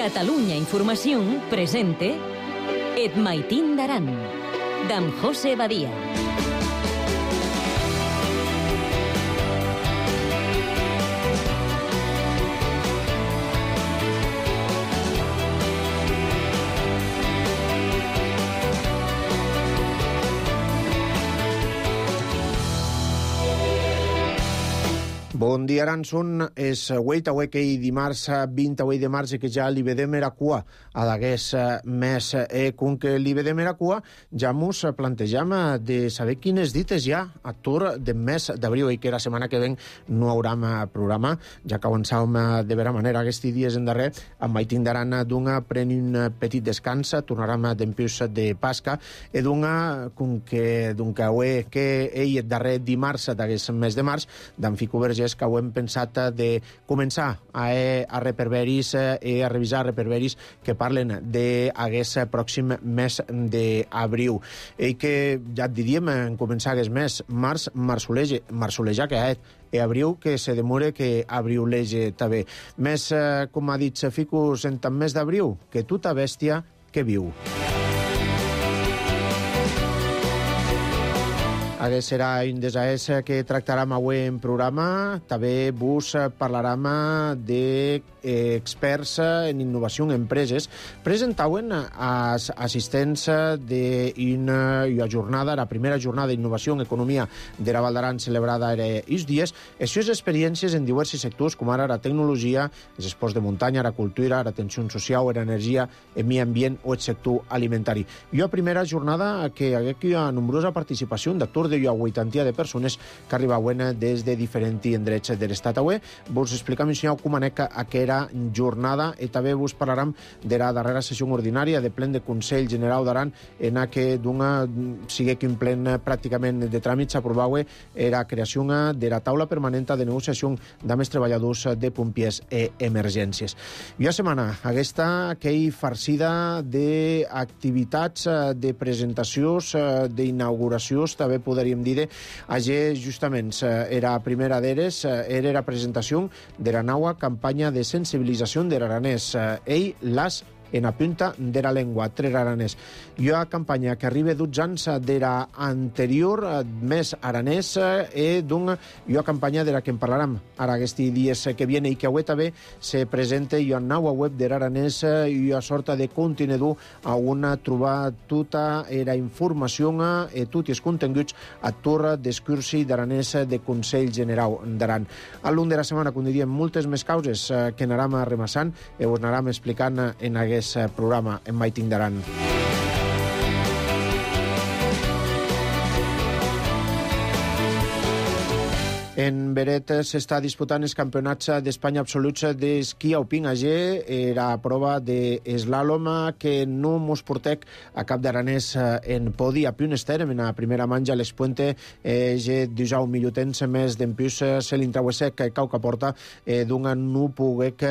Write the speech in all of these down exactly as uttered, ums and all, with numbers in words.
Catalunya Información presente Et Maitín d'Aran, d'en José Badia. Bon dia, Aranson. És avui, avui que dimarts vint-i-vuit de març, que ja li vedem era cua a d'aguest mes. E com que li vedem era cua, ja mos plantegem de saber quines dites ja a tur de mes d'abril, i que la setmana que ven no haurem programa, ja que avançàvem de vera manera aquests dies en darrer, amb mai tindran d'un preni un petit descans, tornarem d'empius de Pasca, i d'un com que d'un que avui que ell el darrer dimarts d'aquest mes de març, d'en Fico Vergés, que ho hem pensat de començar a, a reperveris i a revisar reperveris que parlen d'aquest pròxim mes d'abril. I que ja et diríem en començar aquest mes, març, marçoleja, marçoleja que és, i abril que se demore que abriulege també. Més, com ha dit Fico, en tant mes d'abril, que tota bèstia que viu. Aquest serà un dels que tractarem avui en programa. També vos parlarem d'experts en innovació en empreses. Presentaven als assistents d'una jornada, la primera jornada d'innovació en economia de la Val d'Aran celebrada aquests dies, les seves experiències en diversos sectors, com ara la tecnologia, els esports de muntanya, la cultura, l'atenció social, l'energia, el medi ambient o el sector alimentari. I una primera jornada que hi ha nombrosa participació d'actors de vuitanta de persones que arribaven des de diferents indrets de l'estat. Avui vos explicam com anava aquesta jornada i també vos parlarem de la darrera sessió ordinària de plen de Consell General d'Aran, en què d'una sigue que en plen pràcticament de tràmits aprovava la creació de la taula permanent de negociació amb els treballadors de pompiers i emergències. I una setmana aquesta que hi farcida d'activitats, de presentacions, d'inauguracions, també podríem dir. Ayer, justament, era la primera d'eres, era la presentació de la nova campanya de sensibilització de l'aranès. Ell, l'as en la punta de la llengua, tres aranès. I una campanya que arriba dotze anys de l'anterior, més aranès, i una campanya de la que en parlarem ara aquests dies que viene, i que avui també se presenta i una nova web de l'aranès i una sorta de contenidor on trobar tota la informació i tots els continguts a torre d'excursi d'aranès de Consell General d'Aran. Al llarg de la setmana, com diríem, moltes més causes que anarem remassant i us anarem explicant en aquest programa en Maitín d'Aran. En Beret s'està disputant els campionats d'Espanya absoluts d'esquí alpí. Ayer era prova d'eslàlom que no mos portec a cap d'aranès en podi. A piun estem en la primera manja l'expuente je dijau milutens més d'empius se l'intrauesec cau que porta d'un no poguec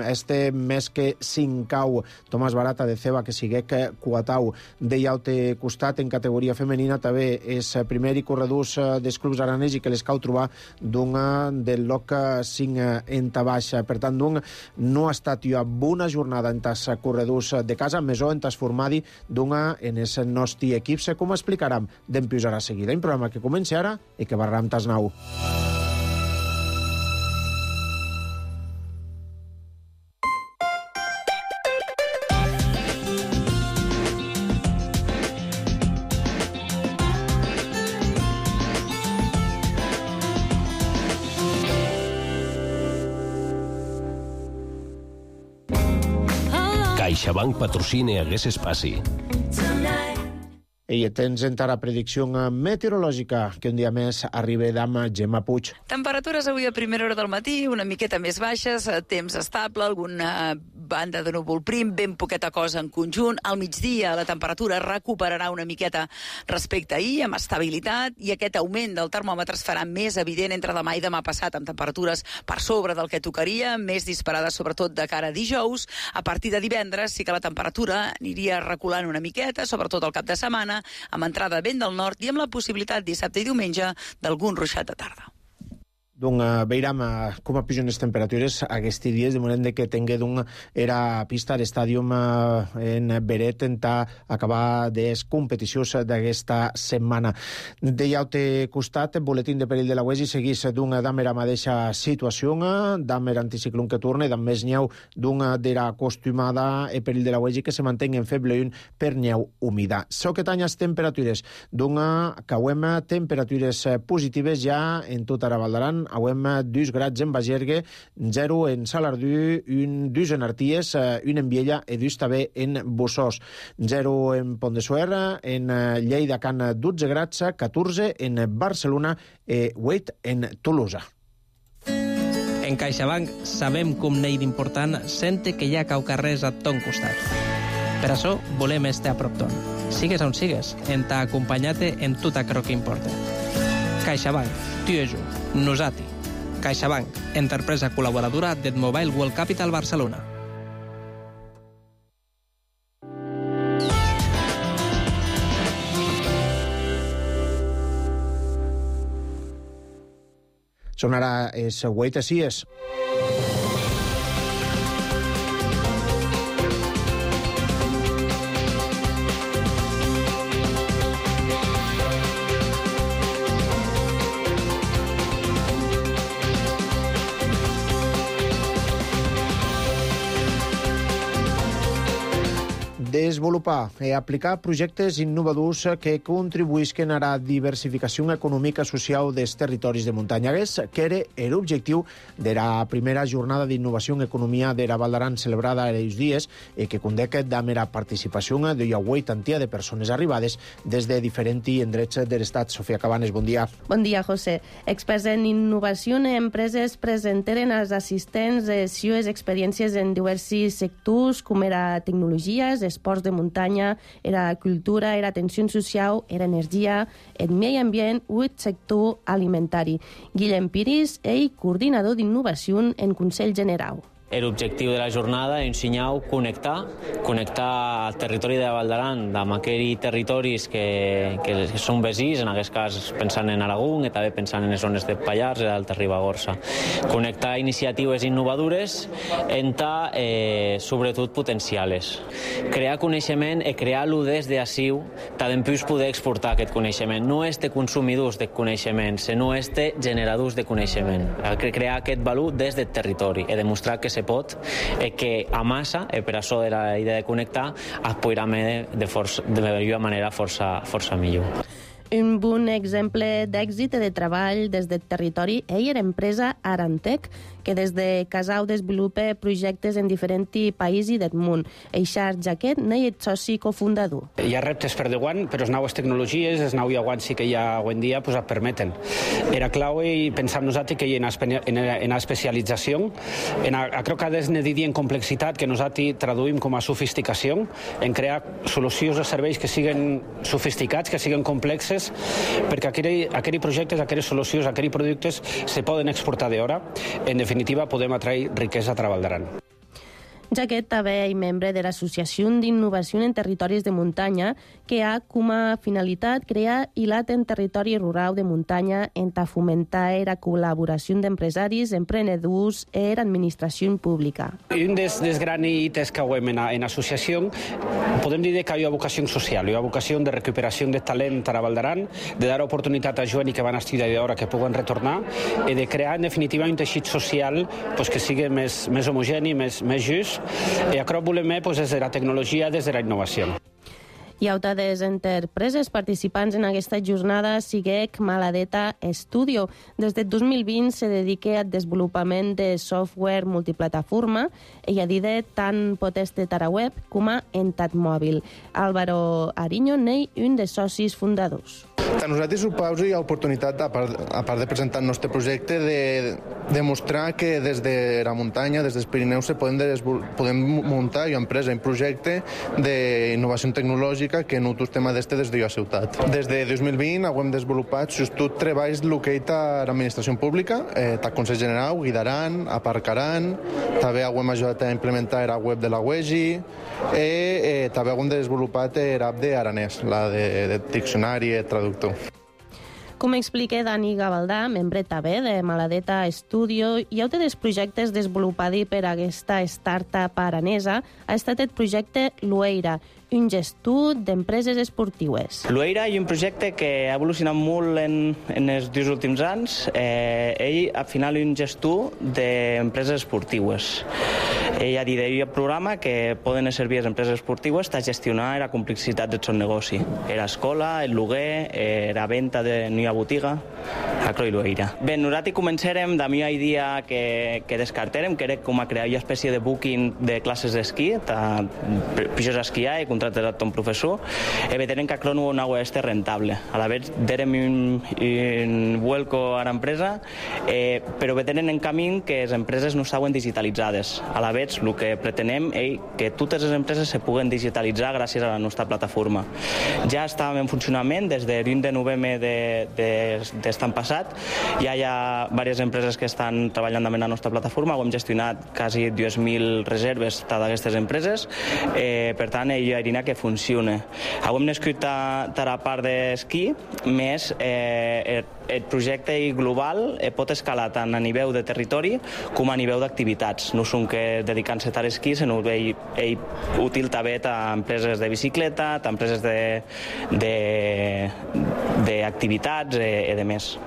este més que cincau. Tomàs Barata de Ceba que siguec cuatau. De llaute costat en categoria femenina també és primer i corredors dels clubs aranès i que les cau trobar d'un del loc cinc en tabaix. Per tant, d'un no ha estat una bona jornada en tas corredors de casa, més o en tas formadi d'una en els nostres equips, com explicarem d'empius ara seguida. Un programa que comença ara i que barrarà amb tas nou. CaixaBank patrocina aquest espai. I tens encara predicció meteorològica que un dia més arriba d'ama Gemma Puig. Temperatures avui a primera hora del matí, una miqueta més baixes, temps estable, alguna banda de núvol prim, ben poqueta cosa en conjunt. Al migdia la temperatura recuperarà una miqueta respecte a ahir, amb estabilitat, i aquest augment del termòmetre es farà més evident entre demà i demà passat, amb temperatures per sobre del que tocaria, més disparades sobretot de cara a dijous. A partir de divendres sí que la temperatura aniria reculant una miqueta, sobretot al cap de setmana, amb entrada vent del nord i amb la possibilitat dissabte i diumenge d'algun ruixat de tarda. Donc, uh, veiram uh, com pugen les temperatures aquests dies, de moment que tingué donc era pista d'estàdium uh, en Beret en acabar les competicions d'aquesta setmana. De l'altre costat, el boletín de perill de la U E S I seguís d'un d'amera mateixa situació, d'amer anticiclón que torna, d'am més nyeu d'un d'era acostumada el perill de la U E S I que se mantenga en feble un per nyeu humida. So que tanyes temperatures d'un cauem temperatures positives ja en tot ara Val d'Aran. Auem dos grads en Bagergue, zero en Salardú, un, dos en Arties, un en Viella i dos també en Bossós. Zero en Pont de Suert, en Lleida can dotze grads, catorze en Barcelona i vuit en Tolosa. En CaixaBank sabem com n'hi d'important sente que hi ha caucarrers a ton costat. Per això volem estar a prop ton. Sigues on sigues, en t'ha acompanyat en tot aquello que importa. CaixaBank, tu i jo, nosati. CaixaBank, empresa col·laboradora del Mobile World Capital Barcelona. Són ara els vuit a sis. Desenvolupar i aplicar projectes innovadors que contribuïsquen a la diversificació econòmica i social dels territoris de muntanya, que era l'objectiu de la primera jornada d'innovació en economia de la Val d'Aran celebrada aquests dies i que condeca de mera participació de la vuitantia de persones arribades des de diferents indrets de l'estat. Sofia Cabanes, bon dia. Bon dia, José. Experts en innovació en empreses presentaren als assistents les seues experiències en diversos sectors, com era tecnologies, esports de muntanya, era cultura, era atenció social, era energia, el medi ambient o el sector alimentari. Guillem Piris, ell coordinador d'innovació en Consell General. L'objectiu de la jornada és ensenyar a connectar, connectar el territori de Val d'Aran amb aquells territoris que, que són veïns, en aquest cas pensant en Aragó i també pensant en les zones de Pallars i d'Alta Ribagorça. Connectar iniciatives innovadores en ta, eh, sobretot potencials. Crear coneixement i crear-lo des d'aciu, també poder exportar aquest coneixement. No és de consumidors de coneixement, sinó és de generadors de coneixement. Crear aquest valor des del territori i demostrar que se pot, eh, que a massa, eh, per això de la idea de connectar, es podrà de, de, força, de millor manera força, força millor. Un bon exemple d'èxit i de treball des del territori és l'empresa Arantec, que des de Casau desenvolupa projectes en diferents països del món. Eixar Jaquet n'és el soci cofundador. Hi ha reptes per davant, però les noves tecnologies, els nous aguants que hi ha avui en dia, pues, et permeten. Era clau i pensar nosaltres que hi ha en especialització, en acrocades de dir en complexitat que nosaltres traduïm com a sofisticació, en crear solucions de serveis que siguin sofisticats, que siguin complexes, perquè aquells projectes, aquelles solucions, aquells productes se poden exportar d'hora. En definitiva, podem atraure riquesa a Val d'Aran. Jaquet també és membre de l'Associació d'Innovació en Territoris de Muntanya, que ha com a finalitat crear hilat en territori rural de muntanya en ta fomentar la col·laboració d'empresaris, emprenedors i l'administració pública. Un dels, dels grans hites que hem en, en associació, podem dir que hi ha vocació social, hi ha vocació de recuperació de talent a Val d'Aran, de dar oportunitat a joves que van estudiar d'hora que puguen retornar i de crear, en definitiva, un teixit social pues, que sigui més, més homogeni, més, més just. I a prop volem pues, des de la tecnologia, des de la innovació. Hi ha altres empreses participants en aquesta jornada, siguec Maladeta Studio. Des del dos mil vint se dedica al desenvolupament de software multiplataforma i a dir tant potest de Taraweb com a Entat Mòbil. Álvaro Ariño n'és un dels socis fundadors. A nosaltres ho pausa hi ha oportunitat, a part, a part de presentar el nostre projecte, de demostrar que des de la muntanya, des dels Pirineus, se podem, podem muntar una empresa, un projecte d'innovació tecnològica que no tot tema d'este des de la ciutat. Des de dos mil vint hem desenvolupat tot treballs locals a l'administració pública, eh, al Consell General, guidaran, aparcaran, també hem ajudat a implementar la web de la U E S I i eh, també hem desenvolupat l'app d'Aranès, la de, de diccionari i traductor. Com explica Dani Gavaldà, membre també de Maladeta Studio, i un dels projectes desenvolupats per aquesta startup aranesa ha estat el projecte Lueira, un gestor d'empreses esportives. Lueira és un projecte que ha evolucionat molt en, en els dos últims anys. Eh, ell, al final, és un gestor d'empreses esportives. Ell ha dit que el programa que poden servir les empreses esportives a gestionar la complexitat del seu negoci. Era escola, el lloguer, era venda de nova botiga, a Croi Lueira. Bé, nosaltres començarem de la idea que, que descartarem, que era com a crear una espècie de booking de classes d'esquí, pujos a esquiar i contractar un professor, e vedrem que a Crono no és rentable. A la vez, derem un, un vuelco a l'empresa, eh, però vedrem en camí que les empreses no estaven digitalitzades. A la vez, el que pretenem és que totes les empreses se puguen digitalitzar gràcies a la nostra plataforma. Ja estàvem en funcionament des del vint de novembre d'estan passat. Ja hi ha diverses empreses que estan treballant amb la nostra plataforma. Ho hem gestionat quasi dues mil reserves d'aquestes empreses. Eh, per tant, hi ha que funciona. Ho hem nascut a, a la part d'esquí, més eh, el, el projecte global eh, pot escalar tant a nivell de territori com a nivell d'activitats. No són que dedicant-se a l'esquí, sinó que ell, ell útil també a empreses de bicicleta, a empreses d'activitats i eh, de més.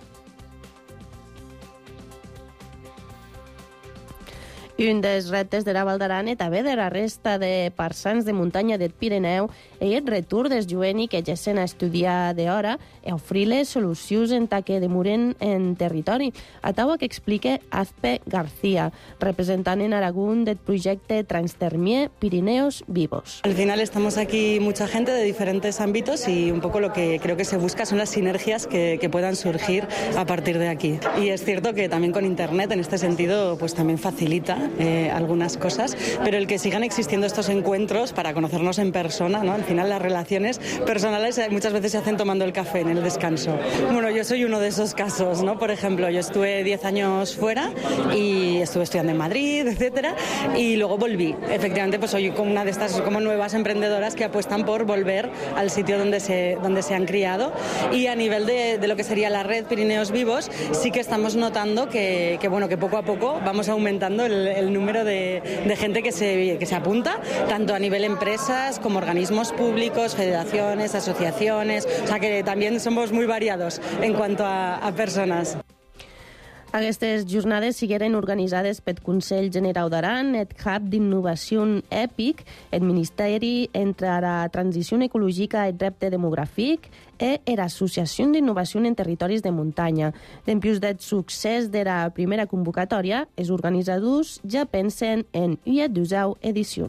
Un dels reptes de la Val d'Aran i també de la resta de parsans de muntanya del Pirineu és el retorn dels joves que gessen a estudiar d'hora i oferir-les solucions en ta que demoren en territori. A taua que explica Azpe García, representant en Aragón del projecte Transtermier Pirineos Vivos. Al final estamos aquí mucha gente de diferentes ámbitos y un poco lo que creo que se busca son las sinergias que, que puedan surgir a partir de aquí. Y es cierto que también con Internet en este sentido pues también facilita Eh, algunas cosas, pero el que sigan existiendo estos encuentros para conocernos en persona, ¿no? Al final las relaciones personales muchas veces se hacen tomando el café en el descanso. Bueno, yo soy uno de esos casos, ¿no? Por ejemplo, yo estuve diez años fuera y estuve estudiando en Madrid, etcétera, y luego volví. Efectivamente, pues soy como una de estas como nuevas emprendedoras que apuestan por volver al sitio donde se, donde se han criado, y a nivel de, de lo que sería la red Pirineos Vivos, sí que estamos notando que, que, bueno, que poco a poco vamos aumentando el el número de, de gente que se, que se apunta, tanto a nivel empresas como organismos públicos, federaciones, asociaciones, o sea que también somos muy variados en cuanto a, a personas. Aquestes jornades sigueren organitzades pel Consell Generau d'Aran, el Hub d'Innovació EPIC, el Ministeri entre la Transició Ecològica i el Repte Demogràfic i l'Associació d'Innovació en Territoris de Muntanya. Dempius del succés de la primera convocatòria, els organitzadors ja pensen en una dosau edició.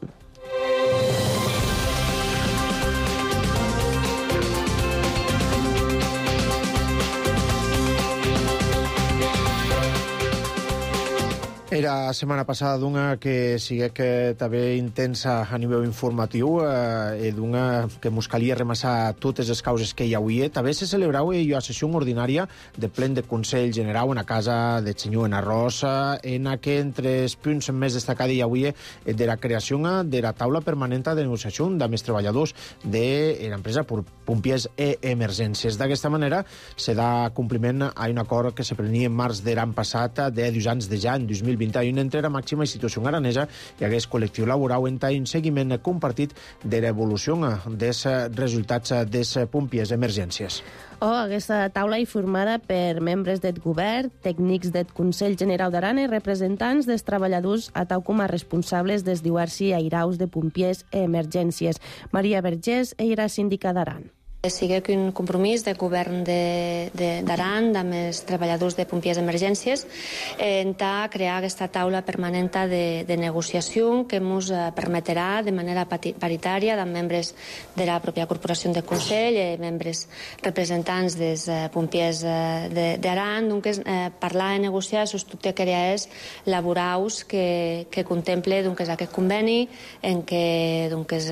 Era setmana passada d'una que sigue que també intensa a nivell informatiu eh, i d'una que mos calia remassar totes les causes que hi hauria. També se celebrava la sessió ordinària de plen de Consell Generau en la casa del senyor en Arrosa, en la que entre els punts més destacats hi hauria de la creació de la taula permanent de negociació amb els treballadors de l'empresa Pompiers e Emergències. D'aquesta manera se da compliment a un acord que se prenia en març de l'any passat de dos anys de ja, en dos mil vint i un, entre la màxima institució aranesa i aquest col·lectiu laboral en un seguiment compartit de l'evolució dels resultats dels pompiers d'emergències. O aquesta taula és formada per membres del govern, tècnics del Consell Generau d'Aran i representants dels treballadors a tau com a responsables dels diversos airaus de pompiers i emergències. Maria Vergés era síndica d'Aran. Sigui un compromís de govern d'Aran amb els treballadors de pompiers d'emergències en crear aquesta taula permanent de, de negociació que ens permetrà de manera paritària amb membres de la pròpia corporació de Consell i membres representants dels pompiers d'Aran, doncs, eh, parlar i negociar sobre aquelles laborals que, que contemple doncs, aquest conveni en què doncs,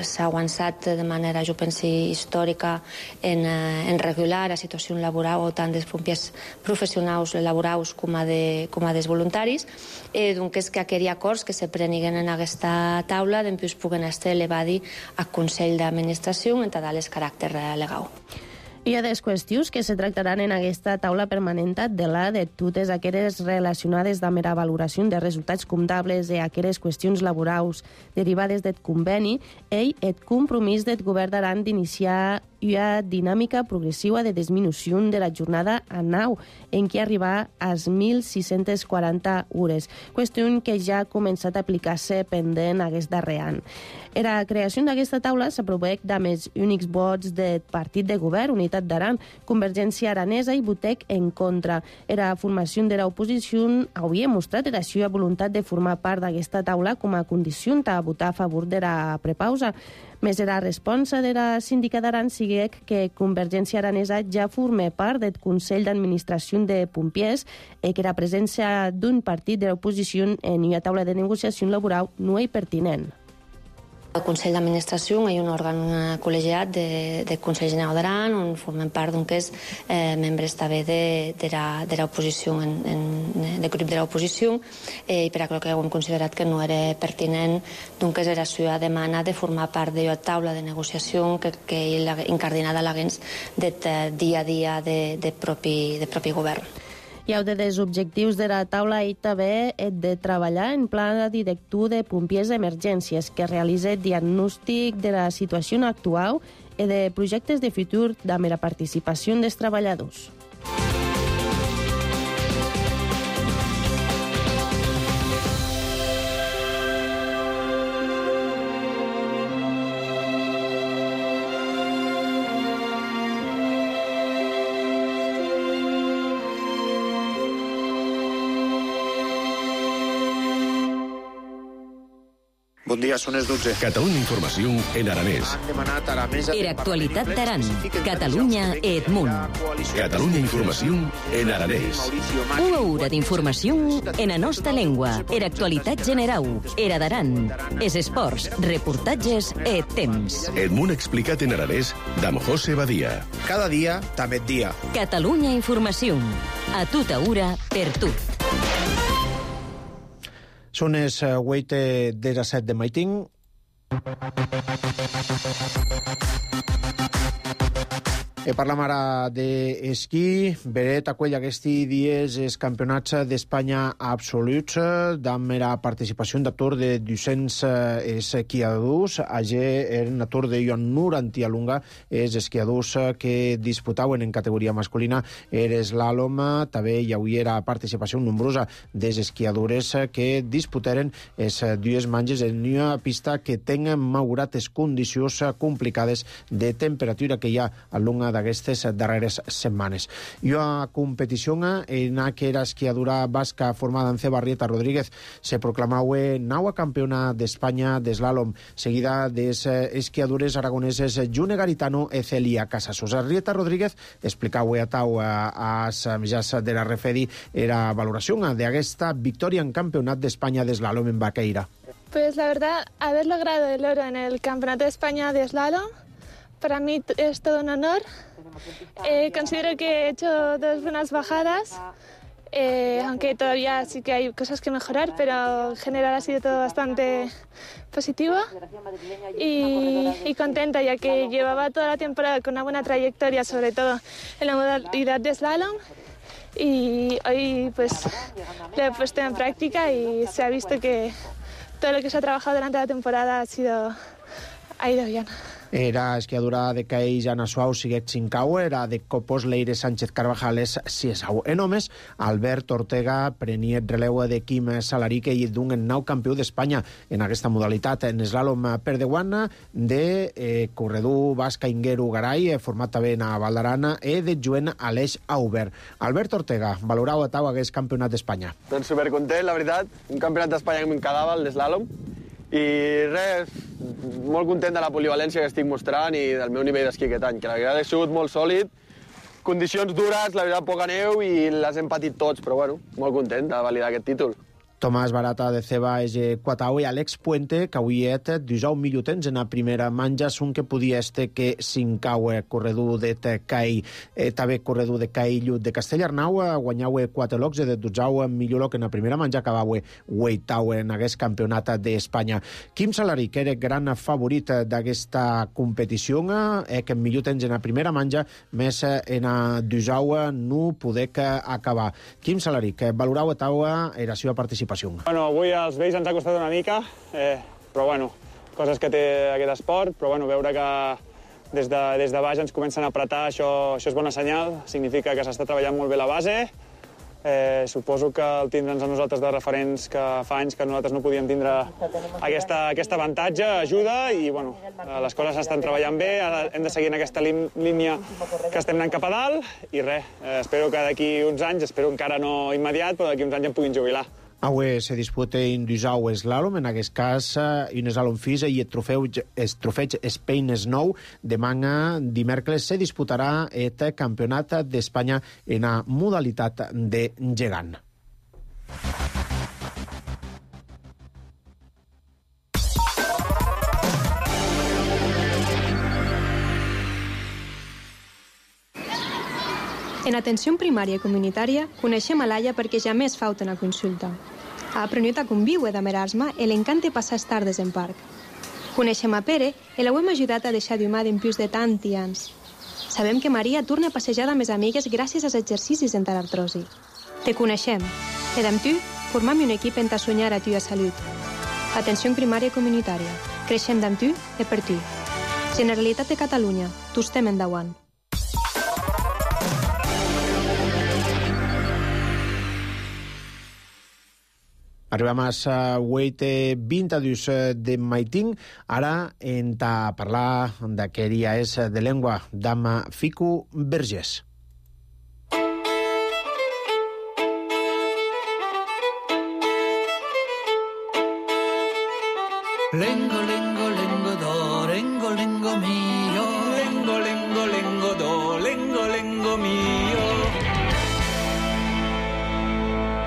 s'ha avançat de manera, jo penso, històrica En, en regular la situació laboral tant dels pompiers professionals laborals com a, de, com a dels voluntaris. Eh, doncs és que aquells acords que se preniguen en aquesta taula després puguen estar elevats al Consell d'Administració en tal el caràcter legal. Hi ha des qüestions que se tractaran en aquesta taula permanent de la de totes aquelles relacionades amb la valoració de resultats comptables i aquelles qüestions laborals derivades del conveni, ell el compromís del govern d'Aran d'iniciar una dinàmica progressiva de disminució de la jornada a nau, en què arribar a mil sis-centes quaranta hores, qüestió que ja ha començat a aplicar-se pendent aquest darrer any. La creació d'aquesta taula s'aproveix amb els únics vots del partit de govern, Unitat d'Aran, Convergència Aranesa i Botec en contra. La formació de l'oposició havia mostrat la seva voluntat de formar part d'aquesta taula com a condició a votar a favor de la prepausa. Més la resposta de la síndica d'Aran sigui que Convergència Aranesa ja forma part del Consell d'Administració de Pompiers i que la presència d'un partit de l'oposició en una taula de negociació laboral no és pertinent. El Consell d'Administració hi ha un òrgan col·legiat de, del Consell General d'Aran on formen part d'un que és eh, membres també de, de, la, de l'oposició, en, en, del grup de l'oposició, eh, i per això que hem considerat que no era pertinent d'un que és la seva demanda de formar part de la taula de negociació que, que incardinada l'haguens de dia a dia de, de, propi, de propi govern. I un dels objectius de la taula i també és de treballar en pla director de pompiers d'emergències que realitza diagnòstic de la situació actual i de projectes de futur amb la participació dels treballadors. Bon dia, són les dotze. Catalunya Informació en aranès. Era actualitat d'Aran. Catalunya et munt. Catalunya Informació en aranès. Una hora d'informació en la nostra llengua. Era actualitat general. Era d'Aran. Es esports, reportatges et temps. El món explicat en aranès d'Am José Badia. Cada dia, també dia. Catalunya Informació. A tota hora, per tu. Són les vuit disset de maiting. E parlam ara d'esquí. Beret acull aquests dies els campionats d'Espanya absoluts amb la participació d'atur de dos-cents esquiadors. Allí en l'atur de noranta lunga els esquiadors que disputaven en categoria masculina era slalom. També hi havia participació nombrosa dels esquiadores que disputaren les dues manges en una pista que tenen malgrat les condicions complicades de temperatura que hi ha a lunga d'aquestes darreres setmanes. I a competició en aquella esquiadura basca formada en Cebarrieta Rodríguez se proclamau naua campiona d'Espanya d'eslàlom, seguida des esquiadures aragoneses June Garitano e Celia Casasos. Arrieta Rodríguez explicau a tau a mitjans de la Refedi era valoració d'aquesta victòria en campionat d'Espanya d'eslàlom en Baqueira. Pues la verdad, haber logrado el oro en el Campeonato de España de Slalom para mí es todo un honor. Eh, considero que he hecho dos buenas bajadas, eh, aunque todavía sí que hay cosas que mejorar, pero en general ha sido todo bastante positivo y, y contenta, ya que llevaba toda la temporada con una buena trayectoria, sobre todo en la modalidad de slalom, y hoy pues lo he puesto en práctica y se ha visto que todo lo que se ha trabajado durante la temporada ha sido ha ido bien. Era esquiadura de Caells, Anna Suau, Siguet Cincau, era de Copos, Leire Sánchez Carvajales, Ciesau. En homes, Albert Ortega prenia releu de Quim Salaric i d'un nou campió d'Espanya en aquesta modalitat. En slalom per Deguana, de eh, corredor basca Inguero Garay, format també a Val d'Aran, i de Joan Aleix Auber. Albert Ortega, valorau a tau aquest campionat d'Espanya. Doncs supercontent, la veritat. Un campionat d'Espanya que m'encagava, el d'eslàlom. I res, molt content de la polivalència que estic mostrant i del meu nivell d'esquí aquest any, que la veritat ha sigut molt sòlid, condicions dures, la veritat poca neu i les hem patit tots, però bueno, molt content de validar aquest títol. Tomàs Barata de Ceba és quatau i Alex Puente, que avui et disau minutens en la primera manja, son que podia este que cincau corredor de Cai, eh, també corredor de Cai Llut de Castellarnau, guanyau quatre locs de dotze millor loc en la primera manja, acabau vuitau en aquest campionat d'Espanya. Quim Salari, que era gran favorit d'aquesta competició, eh, que millor temps en la primera manja, més en la disau no poder acabar. Quim Salari, que valorau a taua era la seva participació. Bueno, avui als vells ens ha costat una mica, eh, però bueno, coses que té aquest esport, però bueno, veure que des de, des de baix ens comencen a apretar, això, això és bona senyal, significa que s'està treballant molt bé la base. Eh, suposo que el tindre'ns a nosaltres de referents que fa anys que nosaltres no podíem tindre aquesta, aquest avantatge, ajuda, i bueno, les coses s'estan treballant bé, ara hem de seguir en aquesta línia que estem anant cap a dalt, i res, eh, espero que d'aquí uns anys, espero encara no immediat, però d'aquí uns anys em puguin jubilar. Avui se disputa en disau eslalom, en aquest cas un eslalom fisa i el trofeu, el trofeig Spain Snow. Demà, dimecres, se disputarà el campionat d'Espanya en la modalitat de gegant. En atenció primària i comunitària, coneixem a Laia perquè ja més falta una consulta. Ha aprenut a conviure de Merasma i l'encanta passar les tardes en parc. Coneixem a Pere i l'hem ajudat a deixar d'humar d'impius de tant i anys. Sabem que Maria torna a passejar amb les amigues gràcies als exercicis en artrosi. Te coneixem. I amb tu, formam un equip en ta soñar a tu a salut. Atenció primària i comunitària. Creixem d'amb tu i per tu. Generalitat de Catalunya. Tu estem endavant. Arribem a vuit vint de maiting. Ara hem de parlar d'aquella és de llengua d'ama Fico Vergés. Lengo, lengo, lengo do, lengo, lengo mio. Lengo, lengo, lengo do, lengo, lengo mio.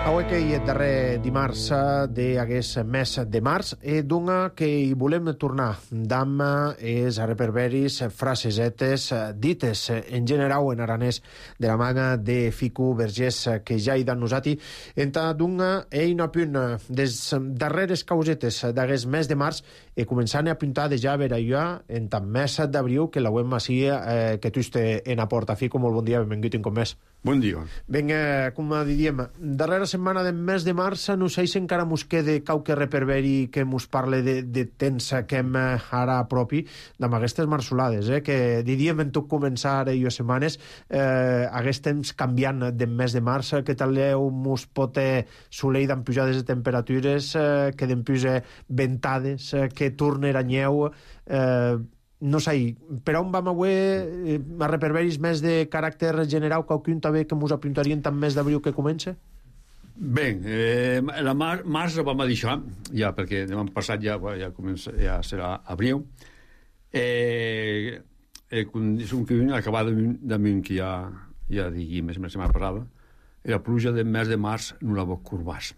Avui que hi és darrer dimarts d'aquest mes de març, eh, d'una que hi volem tornar d'am és a reperberis frasesetes dites en general en aranès de la manga de Fico Vergés, que ja hi dan nosati, enta d'una eina punt des darreres causetes d'aquest mes de març e començant a apuntar de ja a veure jo en tant mes d'abril que la web així eh, que tu este en a porta. Fico, molt bon dia, benvingut en com més. Bon dia. Vinga, com diríem, darrera setmana del mes de març, no sé si encara mos quede qualque reperberi que mos parle de, de temps que hem ara propi d'amb aquestes marsolades, eh? Que diríem en tot començar ara i setmanes, eh, aquest temps canviant del mes de març, que tal mos pot soleir d'en pujades de temperatures, eh, que d'en puja ventades, eh, que torna a nyeu, eh, no sé, per on vam avui eh, a reperberis més de caràcter general, qualcun també que mos apuntarien tant mes d'abril que comença? Bé, eh, la mar, març la vam deixar, ja, perquè demà passat ja, ja, comença, ja serà abril. Eh, eh, és un que acabat damunt que ja, ja digui més la setmana passada, la pluja del mes de març no la vos curvàs.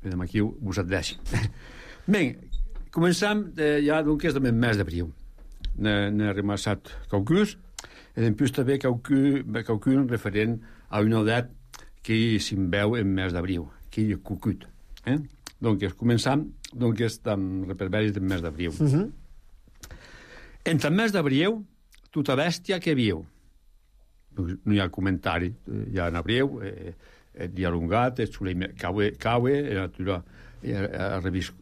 I demà aquí vos adveixi. Bé, començam eh, ja doncs del mes d'abril. N'he remassat qualcus, i després també qualcun referent a una edat que se'n veu en mes d'abril, que és cucut. Eh? Donc, començam doncs, amb reperberis del mes d'abril. Uh -huh. Entre el mes d'abril, tota bèstia que viu. No hi ha comentari, ja en abril, eh, el dia alongat, el soleil caue, caue, la natura eh,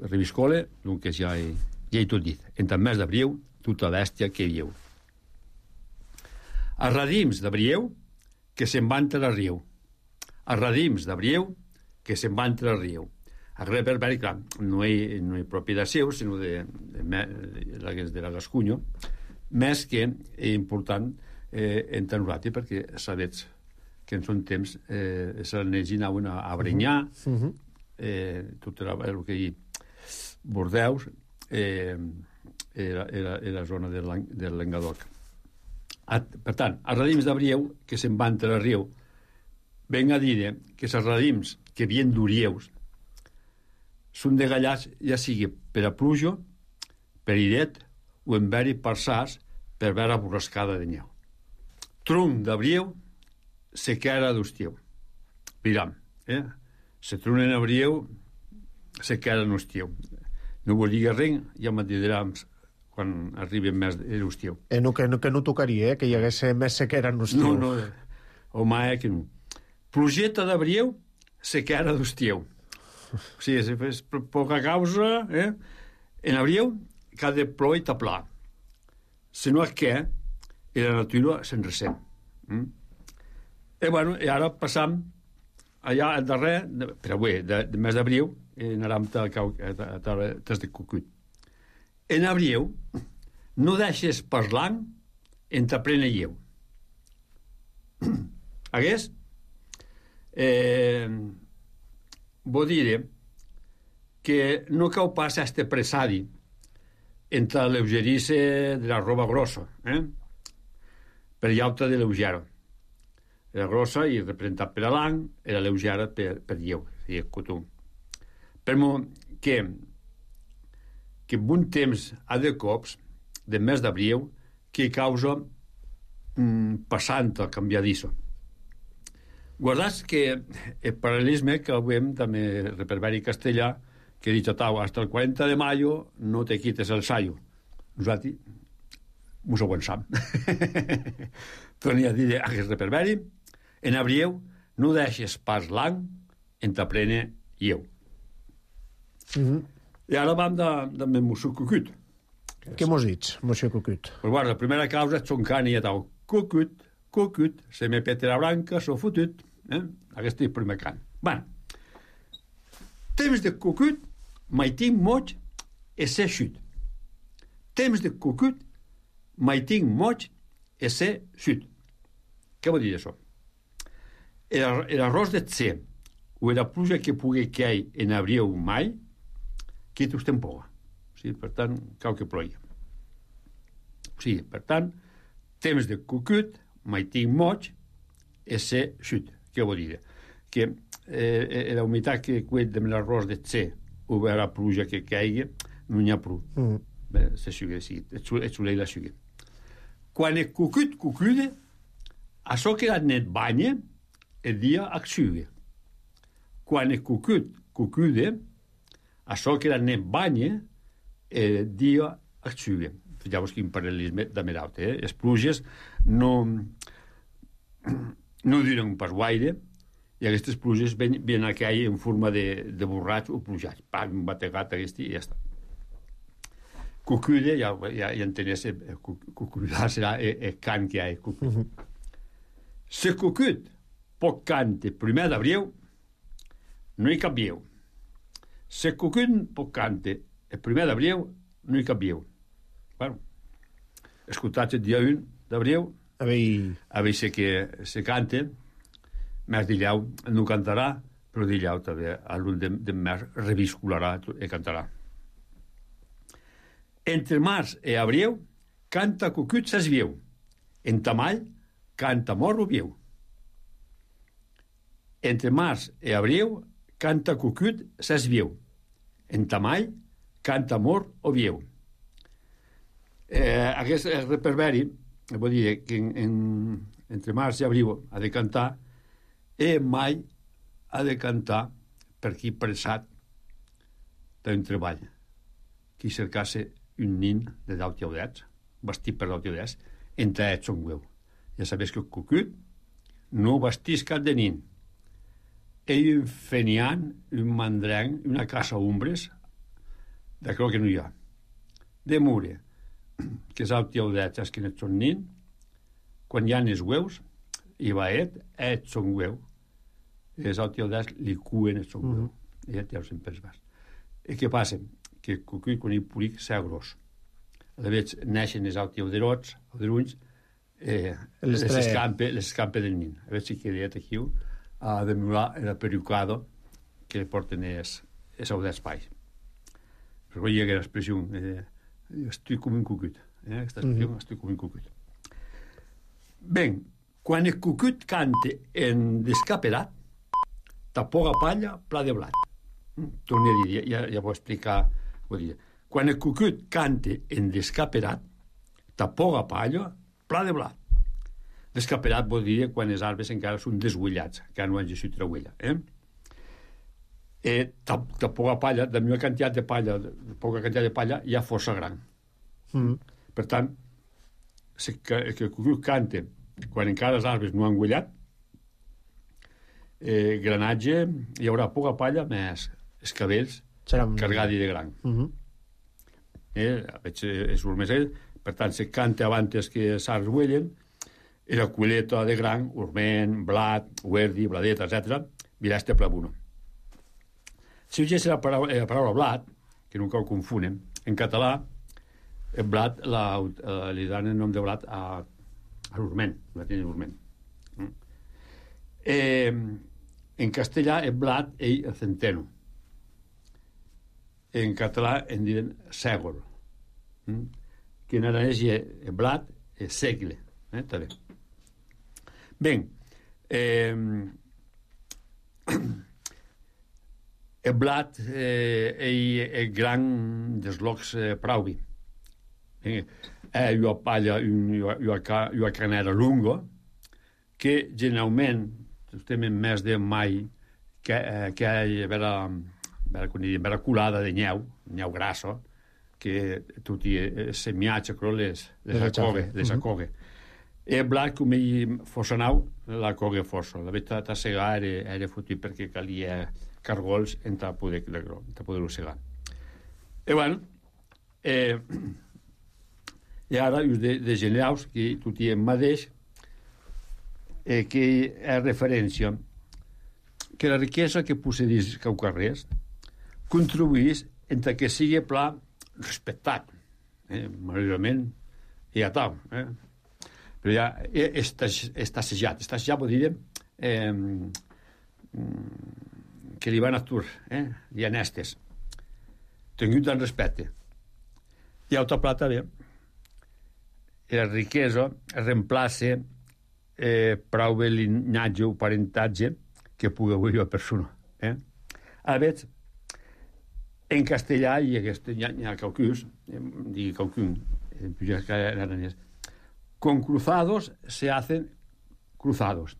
reviscole, doncs ja he, ja he tot dit. Entre el mes d'abril, tota bèstia que viu. Els radims d'abril, que se'n van entre el riu. Els radims d'abril, que se'n van entre el riu. El reperberi, clar, no és no propietat seu, sinó de, de, de, de la Gascunya, més que és important eh, entre nosaltres, perquè sabets que en son temps eh, s'anegin anaven a, a brenyar, uh -huh. eh, tot era el que hi Bordeus, eh, Era, era, era la zona del, del Languedoc. Per tant, els radims d'abril que se'n van entre el riu ven a dir que els radims que vien d'Urieus són degallats ja sigui per a pluja, per iret o en veri per sas per vera borrascada de neu. Tronc d'abriu, sequera d'estiu. Miram, eh? Se tronc en abriu, sequera en estiu. No vol dir res, ja me direm quan arribi més l'estiu. Eh, no, que, no, que no tocaria, eh? Que hi hagués més sequera en estiu. No, no, home, eh, que no. Plugeta d'abriu, sequera d'estiu. O sigui, és, és poca causa, eh? En abriu, que ha de plor i taplar. Si no és que, i la natura se'n ressent. Mm? I, bueno, i ara passam allà al darrer, de, però bé, de, de mes d'abril, i anàrem a des de Cucut. En abril, no deixes parlant en ta plena lleu. Hagués? Eh, vull dir que no cau pas este presadi entre la lleugerice de la roba grossa, eh? Per llauta de lleugera. Era grossa i representat per a l'any, era lleugera per, per lleu, i el cotó. Per mo que que bon temps ha de cops, de mes d'abril, que causa mm, passant el canviadisso. Guardats que el paral·lelisme que veiem també el reverberi castellà, que ha dit Tau, hasta el quaranta de mayo no te quites el sayo. Nosaltres mos aguançam. Torni a dir aquest reverberi, en abril no deixes pas l'any en ta plena lleu. Mm-hmm. I ara vam de, de Monsieur Cucut. Què mos dits, Monsieur Cucut? Pues bueno, la primera causa és xoncant i ja tau. Cucut, Cucut, se me pete la branca, so fotut. Eh? Aquest és el primer cant. Bueno, temps de Cucut, mai tinc moig, e ser xut. Temps de Cucut, mai tinc moig, e ser xut. Què vol dir això? L'arròs de tse, o la pluja que pugui cair en abril mai, que tu estem poga. O sigui, per tant, cau que plogui. O sigui, per tant, temps de Cucut, mai tinc moig, e ser xut. Què vol dir? Que eh, la humitat que cuet de l'arròs de tse o la pluja que caigui, no n'hi ha prou. Mm. Bé, se xugue, sí, et solei la xugue. Quan el Cucut cucude, això que net banya, el dia ac xugue. Quan el Cucut cucude, això que net banya, el dia ac xugue. Fixeu-vos quin paral·lelisme de meraut, eh? Les pluges no... no duren pas guaire, i aquestes pluges ven, venen a caure en forma de, de borratx o plujats. Pam, un bategat aquest i ja està. Cucude, ja, ja, ja entenés, cucudar serà el, el cant que hi ha. Uh-huh. Se cucut poc cante primer d'abril, no hi cap vieu. Se cucut poc cante el primer d'abril, no hi cap vieu. Bueno, escoltats el dia un d'abril, a veure que se cante, més dillau no cantarà, però dillau també a l'un de, de més reviscularà i cantarà. Entre març i abril canta Cucut ses vieu, en tamall canta mor o vieu. Entre març i abril canta Cucut ses vieu, en tamall canta mor o vieu. Eh, aquest reverberi vull dir que en, en, entre març i abril ha de cantar i mai ha de cantar per qui pressat d'un treball qui cercasse un nin de deu teodets vestit per deu teodets entre ells son hueu. Ja sabés que el Cucut no vestís cap de nin. Ell un fenian, un mandrenc, una casa ombres d'acord que no hi ha. De mure que és el teodet, és que no són nin, quan hi ha els hueus, i va et, et són hueu, és el teodet, li cuen els són hueu, i et ja ho sempre es vas. I què passa? Que el Cucut, quan hi puric, s'ha gros. A la veig, neixen els teoderots, els drunys, eh, les escampe, les escampe del nin. A veure si queda aquí a demorar el perucado que porten els audets-pais. Però vull dir que l'expressió... Eh, estic com un cucut. Eh? Aquesta expressió, mm-hmm. Estic com un cucut. Ben, quan el Cucut cante en descaperat, ta poga palla, pla de blat. torno a dir, ja, ja vull explicar, vull dir, quan el cucut cante en descaperat, tapoga palla, pla de blat. Descaperat vol dir quan els arbres encara són desguillats, que no han gessit la huella. Eh? Eh, tapoga palla, la meva quantitat de palla, poca quantitat de palla, ja força gran. Mm. Per tant, si que, que el cucut cante quan encara els arbres no han guillat, eh, granatge, hi haurà poca palla més els cabells Seran... cargats de gran. Mm-hmm. eh, veig els urmesell, per tant, si canta abans que els arbres guillen, i la culeta de gran, urment, blat, huerdi, bladet, etcètera, virà este plabuno. Si uges la paraula, la paraula blat, que nunca ho confunen, en català, el blat la, uh, li dan el nom de blat a, a l'urment, la tiene l'urment. Mm. Eh, en castellà, el blat, ell, el centeno. En català, en diuen sègol. Mm. Que en aranès hi ha el blat, el segle. Eh, també. Ben, eh, el blat eh, è gran dels locs eh, prauvi. Eh, eh, io paglia io io io canera lungo che generalment estem en mes de mai che eh, che è vera vera con vera culada de nyeu, nyeu grasso che tutti eh, semiace croles les acoge, les acoge. E il blat, come fosse nau, la coga força. La veritat, a segar era, era fotut perquè calia cargols en ta poder, poder-ho segar. I bueno, eh, i ara, us de, de generals, que tot hi mateix, eh, que és referència que la riquesa que possedís Caucarrers contribuís entre que sigui pla respectat. Eh, malauradament, i a tal, eh? Però ja està, està assajat. Està assajat, vol dir eh, que li van a tur, eh? Li anestes. Tingut en respecte. I altra plata, bé, la riquesa reemplaça eh, prou bé l'inatge o parentatge que pugui haver la persona. Eh? A veure, en castellà hi ha, hi ha caucus, eh, digui caucun, en aranès, con cruzados se hacen cruzados.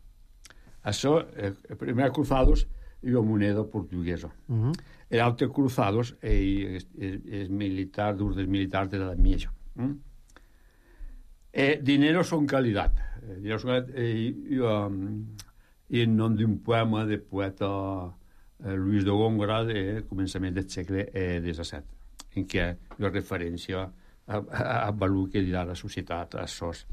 Això, el primer cruzados és la moneda portuguesa. Uh-huh. El altre cruzados és, és, és militar, d'ús dels militars de l'edat mitja. Uh-huh. Eh, dinero son calidad. Eh, dinero son calidad. Eh, i, um, i en nom d'un poema de poeta eh, Luis de Góngora de començament del segle eh, disset, en què hi ha referència a, a, a valor que dirà la societat, a sos.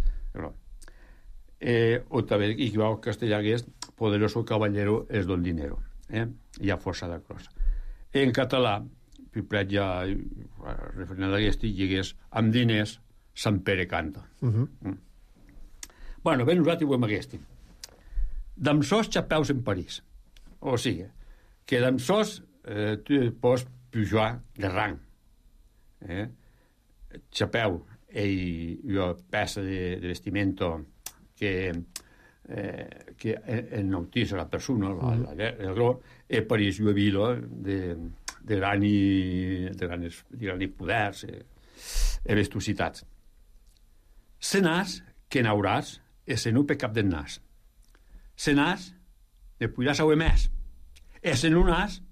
Eh, o també, i que va al castellà, que és poderoso caballero es don dinero. Eh? Hi ha força de cosa. En català, Pipret ja, referent a aquest, digués, amb diners, Sant Pere canta. Uh-huh. Mm. Bueno, ben nosaltres ho hem aquest. D'amb sos xapeus en París. O sigui, que d'amb sos eh, tu pots pujar de rang. Eh? Xapeu e una peça de, de vestimento che, eh, che enaltisse la persona, mm. la, la, la, la, e París una vila de, de, grani, de, grans, de grans poders e, e vestositats. Se nas que n'hauràs e se no per cap del nas. Se nas ne podràs haver més e se no nas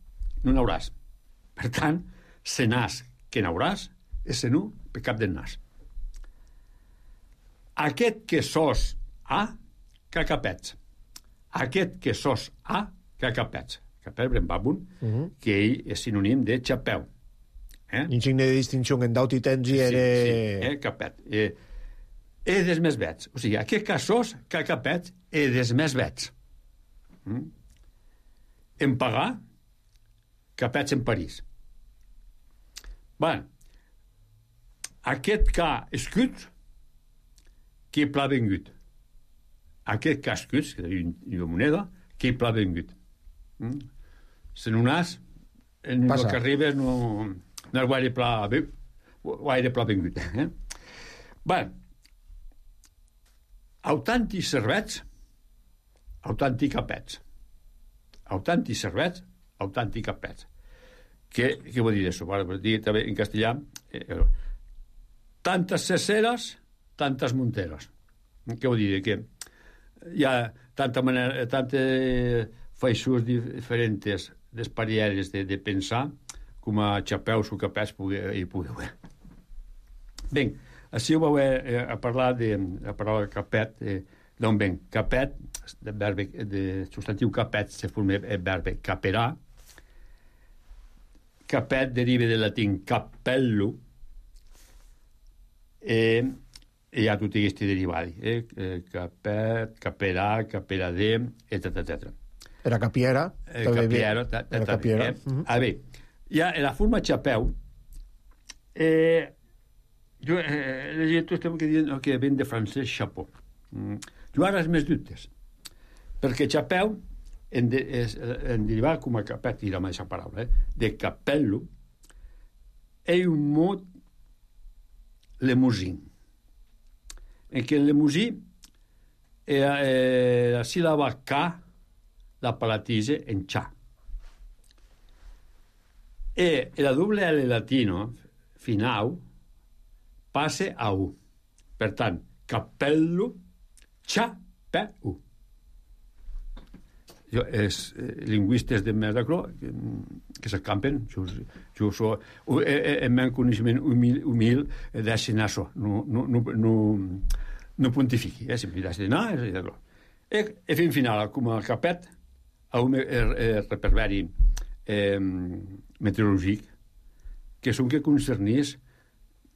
no n'hauràs. Per tant, se nas que n'hauràs e se no per cap del nas. Aquest que sos a, cacapets. Aquest que sos a, cacapets. Capel brembabun, uh-huh. que ell és sinònim de xapeu. Eh? Insigne de distinció en daut i tens i era... Sí, sí, eh, capet. Eh, e des més vets. O sigui, aquest que sos, cacapets, e des més vets. Mm? En pagar, capets en París. Bueno, aquest que escut, que pla vengut. Aquest que escut, que és una moneda, que pla vengut. Mm? Se no nas, en el que arriba no, no és guaire pla, guaire pla vengut. Eh? Bé, autanti servets, autanti capets. Autanti servets, autanti capets. Què, què vol dir això? Vale, dir també en castellà, eh, tantes ceceres, tantes monteres. Què vol dir? Que hi ha tanta manera, tantes feixos diferents d'esparielles de, de pensar com a xapeus o capets hi pugui haver. Bé, així ho vau eh, a parlar de la paraula capet, eh, d'on ven? Capet, de, verbe, de substantiu capet, se forma el verbe caperà. Capet deriva del latín cappello, e hi ha tutti questi derivati, eh? Capet, caperà, caperadè, eccetera, eccetera. Era capiera. Eh, capiera, ta, ta, era ta, capiera. Eh? Uh-huh. A veure, hi ha la forma xapeu, eh, jo eh, he llegit tot que diuen que ven de francès chapeau. Mm. Jo ara és més dubtes, perquè xapeu en, de, es, en derivar com a capet, i la mateixa paraula, eh? de cappello, è un mot lemusin, en què el lemusí è, è la síl·laba K la palatise en cha. E la doble L latino finau passe a U. Per tant, cappello, xapeu. Jo, els eh, lingüistes de Merdacro que, que s'acampen, jo, jo so, eh, el meu coneixement humil, humil deixen això, no, no, no, no, no pontifiqui, eh, sempre deixen anar, e, e fin final, com a capet, a un eh, reperveri eh, meteorològic, que són que concernís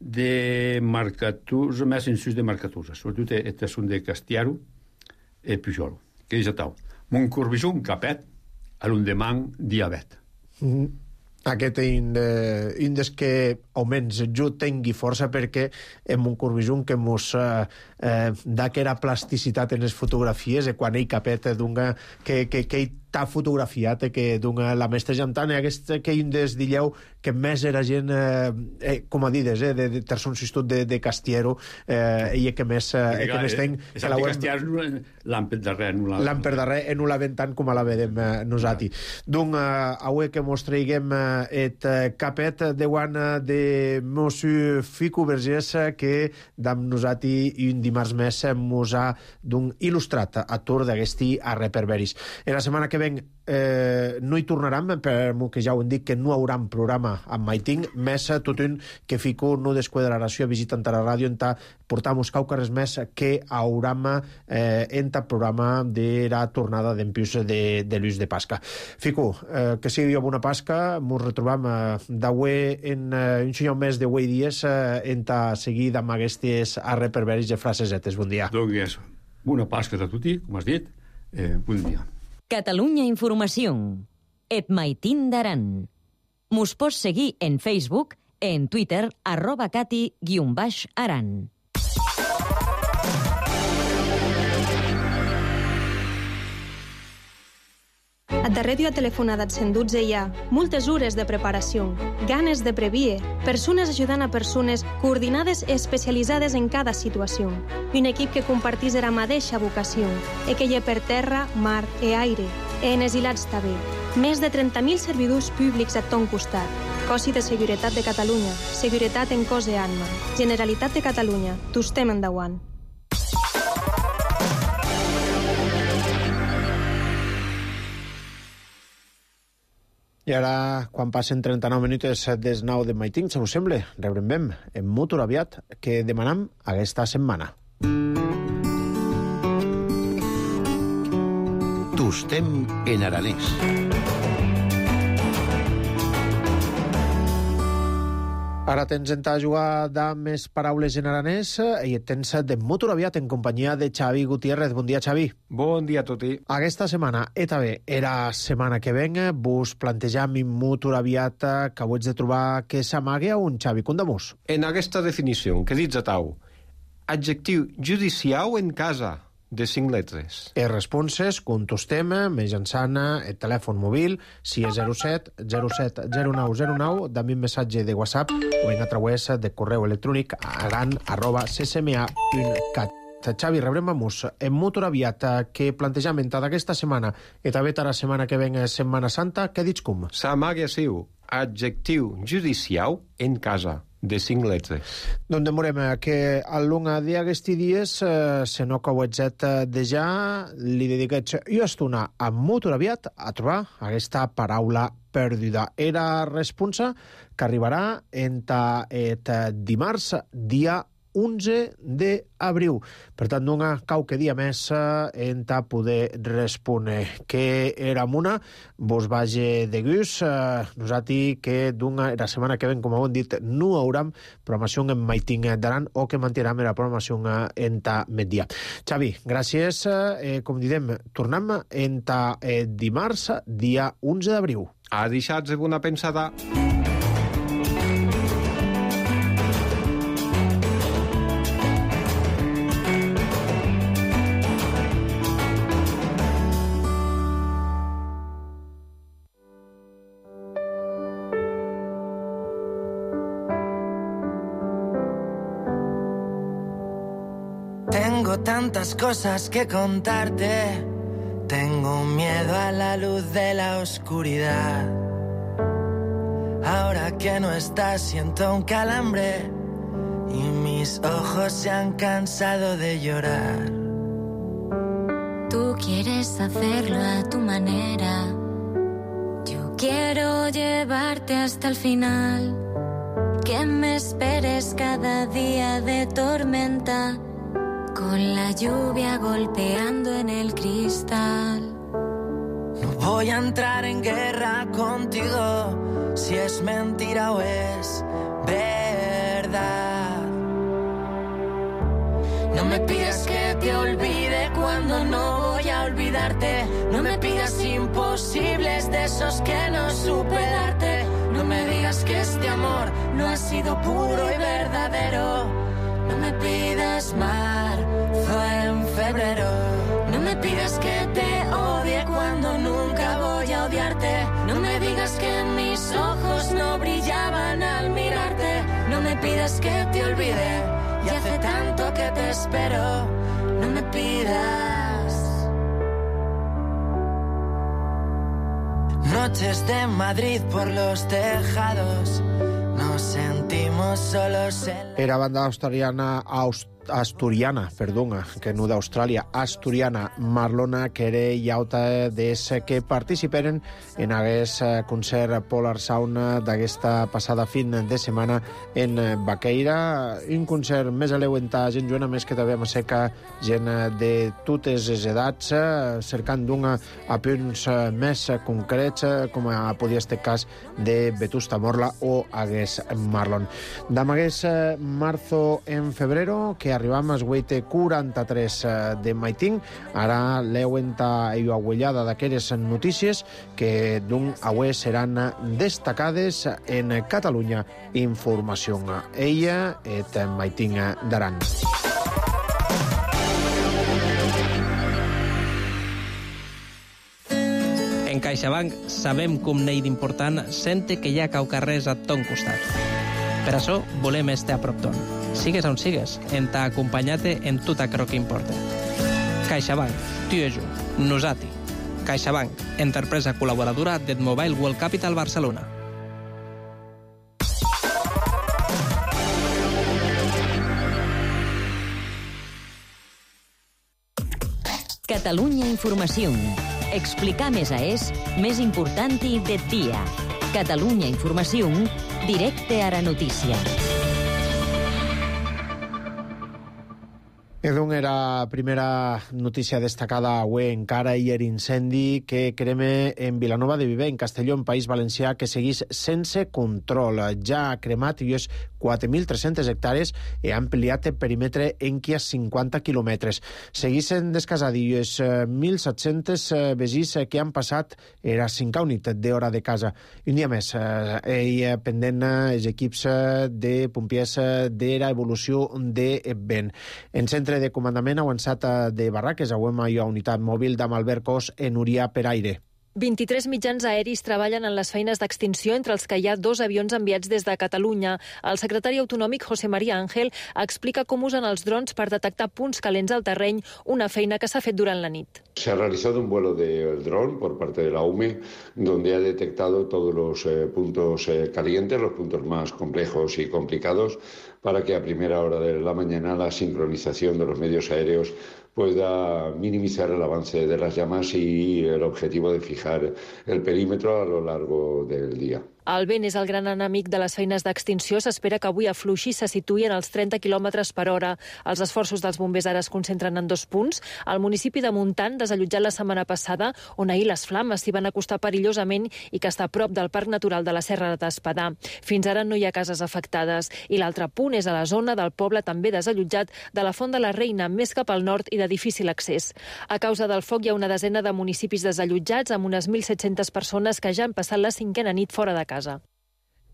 de marcaturs, més en sus de marcaturs, sobretot aquestes són de Castiaro i Pujol, que és a tau. Mon corbisson capet, a l'endemà diabet. Mm-hmm. Aquest índex índex que almenys jo tingui força perquè en un corbisson que mos eh, eh, da que era plasticitat en les fotografies, e quan ell capet dunga que, que, que ell t'ha fotografiat, que dunga la mestra jantant, i aquest que índex dilleu que més era gent eh, eh, com a dides, eh, de, de terçon sistut de, de Castiero, eh, i que més eh, que més tenc és que de Castiero l'han per darrer l'han per darrer e no la ven tant com a la vedem eh, nosati. Donc eh, avui que mos traiguem eh, et eh, capet de guana de Monsieur Fico Vergés, que dam nosati i un dimarts més mos ha d'un il·lustrat a tour d'aquesti a reperveris. En la setmana que ven eh, no hi tornaram, per que ja ho hem dit que no haurà programa amb Maiting, més tot un que Fico no desquadraració visitant a la ràdio en ta portamos caucares més que hauram eh, en ta programa de la tornada d'empius de, de l'ús de Pasca. Fico, eh, que sigui bona Pasca, mos retrobam eh, d'avui en eh, un senyor més de avui dies eh, en ta seguida amb aquestes arreperveris de frasesetes. Bon dia. Doncs bona Pasca a tutti, com has dit. Eh, bon dia. Catalunya Informació. Et Maitín d'Aran. Mos pots seguir en Facebook, en Twitter, arroba cati guion baix aran. A darrere a telefonada cent dotze hi ha moltes hores de preparació, ganes de previer, persones ajudant a persones coordinades i especialitzades en cada situació, i un equip que compartís la mateixa vocació, i que hi ha per terra, mar i aire, i en exilats també. Més de trenta mil servidors públics a ton costat. Cossi de Seguretat de Catalunya, Seguretat en cos i alma. Generalitat de Catalunya, t'estem endavant. I ara, quan passen trenta-nou minuts des nou de Maiting, se us sembla, rebrem ben en Motor aviat, que demanam aquesta setmana. Tostem en aranès. Ara tens en ta jugar de més paraules en aranès i tens de Motor aviat en companyia de Xavi Gutiérrez. Bon dia, Xavi. Bon dia a tutti. Aquesta setmana, e també era setmana que ven, vos plantejam en Motor aviat que ho ets de trobar que s'amague a un Xavi Condamus. En aquesta definició, que dits a tau? Adjectiu judicial en casa, de cinc lletres. E responses, contestem, mitjançant el telèfon mòbil, si és zero set zero set zero nou zero nou, dami un missatge de WhatsApp o en a través de correu electrònic aran arroba c s m a punt cat. Xavi, rebrem amus en Motor aviat que plantejament d'aquesta setmana i també la setmana que ven Setmana Santa, què dits com? S'amague a siu. adjectiu judicial en casa, de cinc letres. Doncs demorem que al longo d'aquests dies, eh, se no cauetzet de ja, li dediquets jo estona a molt aviat a trobar aquesta paraula perduda. Era responsa que arribarà entre et dimarts, dia onze d'abril. Per tant, no ha qualque dia més en ta poder respondre. Que era una, vos vagi de gust. Eh, nosaltres que d'una, la setmana que ven, com hem dit, no hauram programació en Maiting d'Aran o que mantindrem la programació en ta migdia. Xavi, gràcies. Eh, com diem, tornem en ta eh, dimarts, dia onze d'abril. A deixar-vos una pensada. Tengo tantas cosas que contarte. Tengo miedo a la luz de la oscuridad. Ahora que no estás siento un calambre y mis ojos se han cansado de llorar. Tú quieres hacerlo a tu manera. Yo quiero llevarte hasta el final. Que me esperes cada día de tormenta. Con la lluvia golpeando en el cristal. No voy a entrar en guerra contigo si es mentira o es verdad. No me pidas que te olvide cuando no voy a olvidarte. No me pidas imposibles de esos que no supe darte. No me digas que este amor no ha sido puro y verdadero. No me pidas marzo en febrero. No me pidas que te odie cuando nunca voy a odiarte. No me digas que mis ojos no brillaban al mirarte. No me pidas que te olvide, y hace tanto que te espero. No me pidas. Noches de Madrid por los tejados. Nos sentimos solos en... Era banda australiana, aust asturiana, perdona, que no d'Austràlia, asturiana, Marlona, que era i alta des que participeren en aquest concert Polar Sound d'aquesta passada fin de setmana en Baqueira. Un concert més aleuentar gent joana, més que també amb seca gent de totes les edats, cercant d'una a punts més concrets, com a podia este cas de Vetusta Morla o hagués Marlon. D'am hagués marzo en febrero, que arribam als vuit quaranta-tres de Maiting. Ara l'euenta i aguellada d'aquelles notícies que d'un avui seran destacades en Catalunya Informació. Ella et Maiting d'Aran. En CaixaBank sabem com n'hi d'important sente que hi ha caucarrers a ton costat. Per això volem estar a prop ton. Sigues on sigues, en t'ha acompanyat en tot aquello que importa. CaixaBank, tu i jo, nosati. CaixaBank, empresa col·laboradora del Mobile World Capital Barcelona. Catalunya Informació. Explicar més a és més important i de dia. Catalunya Informació, directe a la notícia. Edon era primera notícia destacada avui encara i l'incendi que crema en Vilanova de Viver, en Castelló, en País Valencià, que seguís sense control. Ja ha cremat i és quatre mil tres-centes hectàrees i ha ampliat el perímetre en qui a cinquanta quilòmetres. Seguissin descasadillos mil set-cents vegís que han passat era cinc nit d'hora de casa. Un dia més, ell pendent els equips de pompiers de l'evolució de vent. En centre de comandament avançat de Barraques, avui hi ha unitat mòbil d'Amalbert Cos en Uria per aire. vint-i-tres mitjans aeris treballen en les feines d'extinció, entre els que hi ha dos avions enviats des de Catalunya. El secretari autonòmic José María Ángel explica com usen els drons per detectar punts calents al terreny, una feina que s'ha fet durant la nit. Se ha realizado un vuelo de dron por parte de la U M E, donde ha detectado todos los eh, puntos eh, calientes, los puntos más complejos y complicados, para que a primera hora de la mañana la sincronización de los medios aéreos pueda minimizar el avance de las llamas y el objetivo de fijar el perímetro a lo largo del día. El vent és el gran enemic de les feines d'extinció. S'espera que avui afluixi i se situï en els trenta quilòmetres per hora. Els esforços dels bombers ara es concentren en dos punts. El municipi de Montant, desallotjat la setmana passada, on ahir les flames s'hi van acostar perillosament i que està a prop del Parc Natural de la Serra d'Espadà. Fins ara no hi ha cases afectades. I l'altre punt és a la zona del poble també desallotjat de la Font de la Reina, més cap al nord i de difícil accés. A causa del foc hi ha una desena de municipis desallotjats amb unes mil set-centes persones que ja han passat la cinquena nit fora de casa.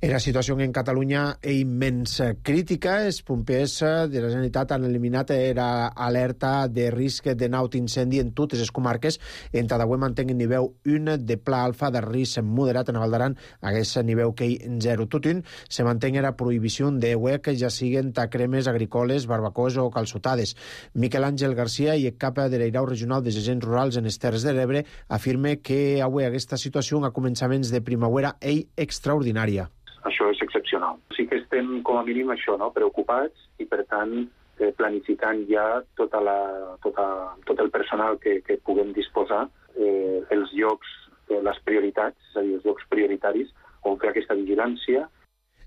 La situació en Catalunya és immens crítica. Els bombers de la Generalitat han eliminat l'alerta de risc de nau d'incendi en totes les comarques. En Tadaué mantenen nivell un de pla alfa de risc moderat. En Valdaran hagués nivell que zero. Tutun se mantén la prohibició de huec, ja siguen tacremes agrícoles, barbacoes o calçotades. Miquel Àngel Garcia, i cap de l'Eirau Regional dels Agents Rurals en les Terres de l'Ebre, afirma que avui aquesta situació a començaments de primavera és extraordinària. Això és excepcional. Sí que estem, com a mínim, això, no? preocupats i, per tant, eh, planificant ja tota la, tota, tot el personal que, que puguem disposar, eh, els llocs, eh, les prioritats, és a dir, els llocs prioritaris, on fer aquesta vigilància.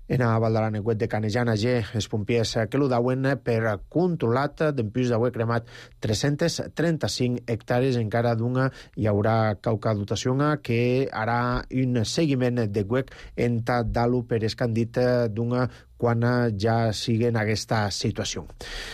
En a Valdaran, el de Canejana G, els pompiers que lo dauen per controlat d'empús d'avui cremat tres-centes trenta-cinc hectàrees. Encara d'una hi haurà qualque dotació que harà un seguiment de huec en Tadalu per escandit d'una quan ja siguen aquesta situació.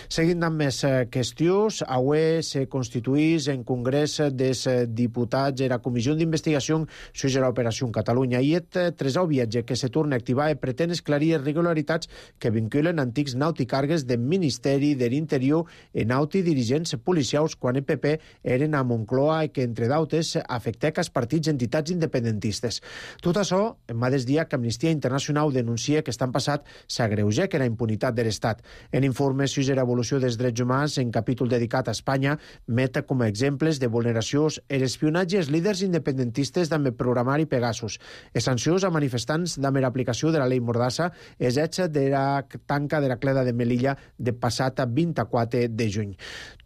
Seguint amb més qüestions, avui se constituís en Congrés dels Diputats la Comissió d'Investigació sobre l'Operació Catalunya i et tresau viatge que se torna a activar i pretén esclarir irregularitats que vinculen antics nauticargues del Ministeri de l'Interior i nauti dirigents policials quan el P P eren a Moncloa i que, entre d'altres, afectec als partits i entitats independentistes. Tot això, en mateix dia que Amnistia Internacional denuncia que estan passat s'agreuja que la impunitat de l'Estat. En informe sobre l'evolució dels drets humans, en capítol dedicat a Espanya, met com a exemples de vulneracions l'espionatge als líders independentistes d'amb el programari Pegasus, les sancions a manifestants d'amb l'aplicació de la llei Mordassa, els hets de la tanca de la cleda de Melilla de passat vint-i-quatre de juny.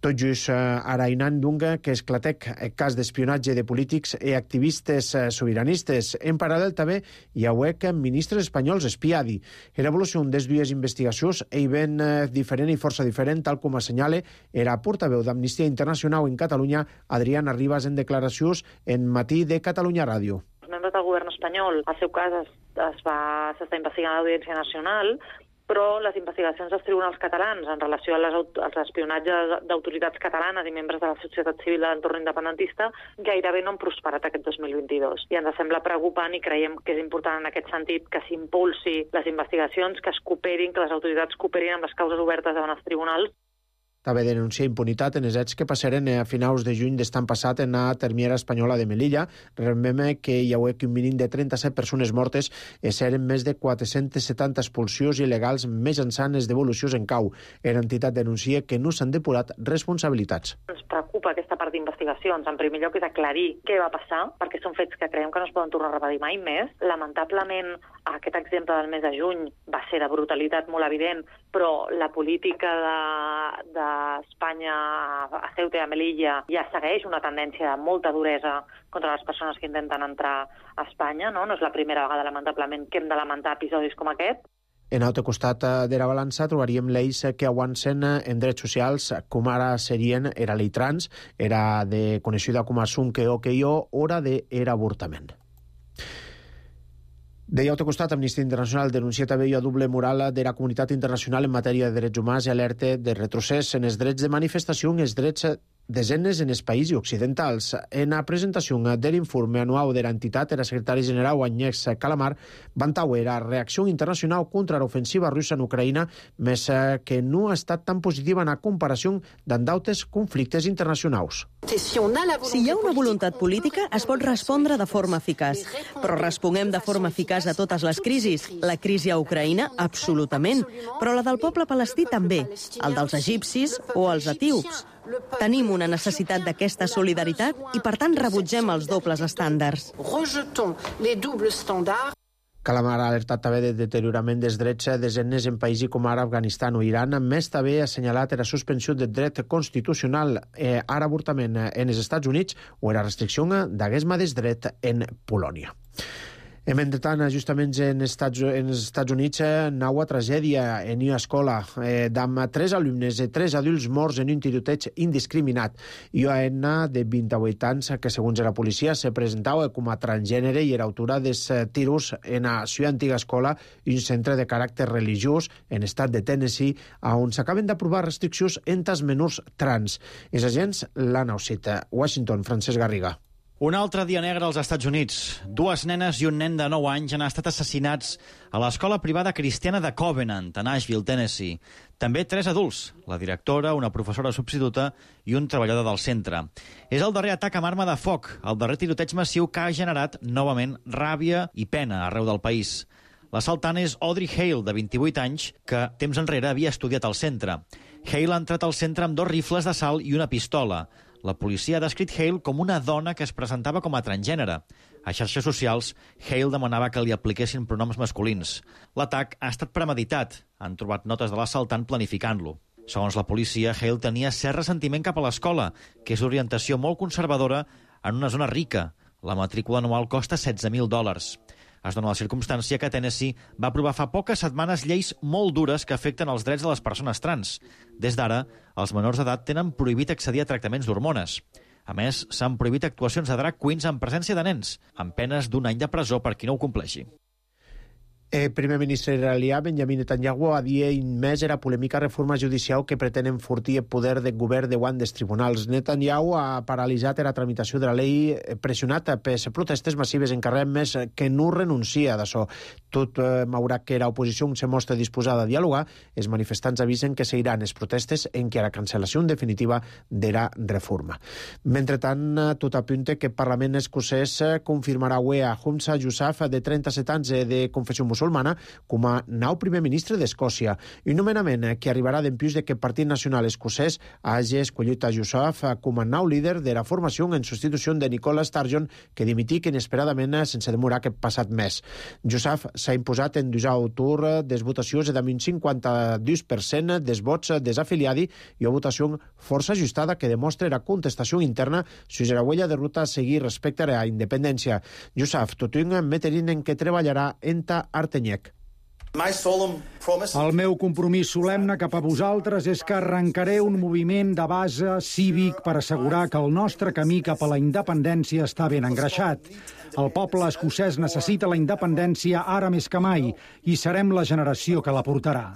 Tot just arainant dunga que esclatec el cas d'espionatge de polítics i activistes sobiranistes. En paral·lel també hi ha huec ministres espanyols espiadi. L'evolució des dues investigacions és ben diferent i força diferent, tal com assenyala era portaveu d'Amnistia Internacional en Catalunya, Adriana Ribas, en declaracions en Matí de Catalunya Ràdio. Els membres del govern espanyol, al seu cas, es, es va, s'està investigant a l'Audiència Nacional, però les investigacions dels tribunals catalans en relació a les, als espionatges d'autoritats catalanes i membres de la societat civil de l'entorn independentista gairebé no han prosperat aquest dos mil vint-i-dos. I ens sembla preocupant i creiem que és important en aquest sentit que s'impulsi les investigacions, que es cooperin, que les autoritats cooperin amb les causes obertes davant els tribunals. També denuncia impunitat en els hets que passaren a finals de juny d'estan passat en la termiera espanyola de Melilla. Rememe que hi ha un mínim de trenta-set persones mortes i seren més de quatre-centes setanta expulsions il·legals més ençant les devolucions en cau. L'entitat denuncia que no s'han depurat responsabilitats. Ens preocupa aquesta part d'investigacions. En primer lloc és aclarir què va passar, perquè són fets que creiem que no es poden tornar a repetir mai més. Lamentablement, aquest exemple del mes de juny va ser de brutalitat molt evident, però la política de, de Espanya a Ceuta i a Melilla ja segueix una tendència de molta duresa contra les persones que intenten entrar a Espanya, no? No és la primera vegada, lamentablement, que hem de lamentar episodis com aquest. En altre costat de la balança trobaríem lleis que avancen en drets socials, com ara serien era llei trans, era de coneixida com a Sunque o que jo, hora de era avortament. De l'altre costat, Amnistia Internacional denuncia també la doble moral de la comunitat internacional en matèria de drets humans i alerta de retrocés en els drets de manifestació i els drets desenes en els països occidentals. En la presentació de l'informe anual de l'entitat, el secretari general Agnes Kalamar vantaue la reacció internacional contra l'ofensiva russa en Ucraïna, més que no ha estat tan positiva en la comparació d'altres conflictes internacionals. Si hi ha una voluntat política, es pot respondre de forma eficaç. Però responguem de forma eficaç a totes les crisis. La crisi a Ucraïna, absolutament. Però la del poble palestí també. El dels egipcis o els etíops. Tenim una necessitat d'aquesta solidaritat i, per tant, rebutgem els dobles estàndards. Kalamar ha alertat també de deteriorament dels drets desenes en països com ara Afganistan o Iran. Més també ha assenyalat la suspensió del dret constitucional eh, a l'avortament en els Estats Units o la restricció d'aguesma del dret en Polònia. I mentrestant, justament en Estats, en els Estats Units, nau a tragèdia en una escola eh, amb tres alumnes i tres adults morts en un tiroteig indiscriminat. I una nena de vint-i-vuit anys que, segons la policia, se presentava com a transgènere i era autora dels tiros en la seva antiga escola, un centre de caràcter religiós en estat de Tennessee, on s'acaben d'aprovar restriccions entre els menors trans. Els agents l'han ausit. Washington, Francesc Garriga. Un altre dia negre als Estats Units. Dues nenes i un nen de nou anys han estat assassinats a l'escola privada cristiana de Covenant, a Nashville, Tennessee. També tres adults, la directora, una professora substituta i un treballador del centre. És el darrer atac amb arma de foc, el darrer tiroteig massiu que ha generat, novament, ràbia i pena arreu del país. L'assaltant és Audrey Hale, de vint-i-vuit anys, que temps enrere havia estudiat al centre. Hale ha entrat al centre amb dos rifles d'assalt i una pistola. La policia ha descrit Hale com una dona que es presentava com a transgènere. A xarxes socials, Hale demanava que li apliquessin pronoms masculins. L'atac ha estat premeditat. Han trobat notes de l'assaltant planificant-lo. Segons la policia, Hale tenia cert ressentiment cap a l'escola, que és d'orientació molt conservadora en una zona rica. La matrícula anual costa setze mil dòlars. Es dona la circumstància que Tennessee va aprovar fa poques setmanes lleis molt dures que afecten els drets de les persones trans. Des d'ara, els menors d'edat tenen prohibit accedir a tractaments d'hormones. A més, s'han prohibit actuacions de drag queens en presència de nens, amb penes d'un any de presó per qui no ho compleixi. El primer ministre israelià Benjamin Netanyahu havia admès la polèmica reforma judicial que pretén enfortir el poder del govern davant dels tribunals. Netanyahu ha paralitzat la tramitació de la llei pressionat per protestes massives en carrer, més que no renuncia d'això. Tot eh, malgrat que l'oposició se mostra disposada a dialogar, els manifestants avisen que seguiran les protestes en què la cancel·lació definitiva de la reforma. Mentrestant, tot apunta que el Parlament escocès confirmarà avui a Humza Yousaf, de trenta-set anys de confessió musulmana, com a nou primer ministre d'Escòcia. Un nomenament que arribarà d'empús de que el Partit Nacional Escocès hagi escollit a Yousaf com a nou líder de la formació en substitució de Nicola Sturgeon, que dimitic inesperadament sense demorar aquest passat mes. Yousaf s'ha imposat en dusau tour des votacions amb un cinquanta-dos per cent dels vots desafiliadi i una votació força ajustada que demostra la contestació interna sobre la huella de ruta a seguir respecte a la independència. Yousaf, tot un meterín en què treballarà enta Artenyec. El meu compromís solemne cap a vosaltres és que arrencaré un moviment de base cívic per assegurar que el nostre camí cap a la independència està ben engreixat. El poble escocès necessita la independència ara més que mai i serem la generació que la portarà.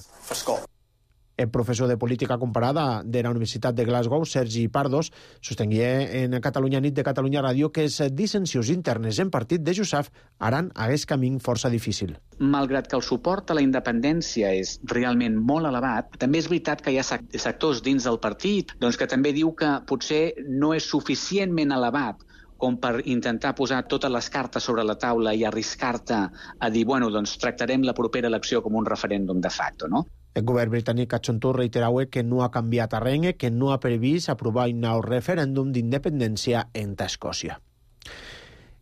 El professor de política comparada de la Universitat de Glasgow, Sergi Pardos, sostengué en Catalunya Nit de Catalunya Ràdio que les dissensions internes en partit de Yousaf haran aquest camí força difícil. Malgrat que el suport a la independència és realment molt elevat, també és veritat que hi ha sectors dins del partit doncs, que també diu que potser no és suficientment elevat com per intentar posar totes les cartes sobre la taula i arriscar-te a dir, bueno, doncs tractarem la propera elecció com un referèndum de facto, no? El govern britànic ha xontat reiterau que no ha canviat a res, que no ha previst aprovar un nou referèndum d'independència entre Escòcia.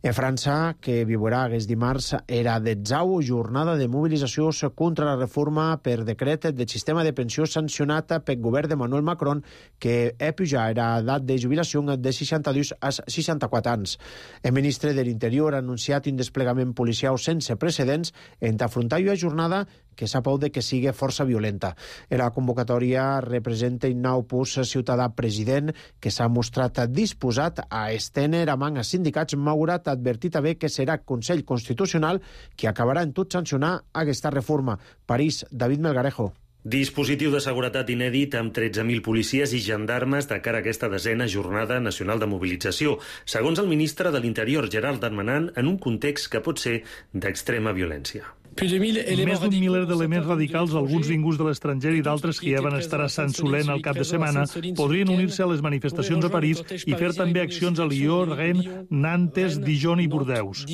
En França, que viurà aquest dimarts, era detzau jornada de mobilització contra la reforma per decret del sistema de pensió sancionat pel govern d'Emmanuel Macron, que ha pujat l'edat de jubilació de seixanta-dos a seixanta-quatre anys. El ministre de l'Interior ha anunciat un desplegament policial sense precedents en afrontar una jornada que s'ha por de que sigui força violenta. La convocatòria representa un nou pus ciutadà president que s'ha mostrat disposat a estendre a man a sindicats, malgrat advertit també que serà Consell Constitucional qui acabarà en tot sancionar aquesta reforma. París, David Melgarejo. Dispositiu de seguretat inèdit amb tretze mil policies i gendarmes de cara a aquesta desena Jornada Nacional de Mobilització, segons el ministre de l'Interior, Gerard Darmanin, en un context que pot ser d'extrema violència. Més d'un miler d'elements radicals, alguns vinguts de l'estranger i d'altres que ja van estar a Sant Solent al cap de setmana, podrien unir-se a les manifestacions a París i fer també accions a Lió, Rennes, Nantes, Dijon i Bordeus.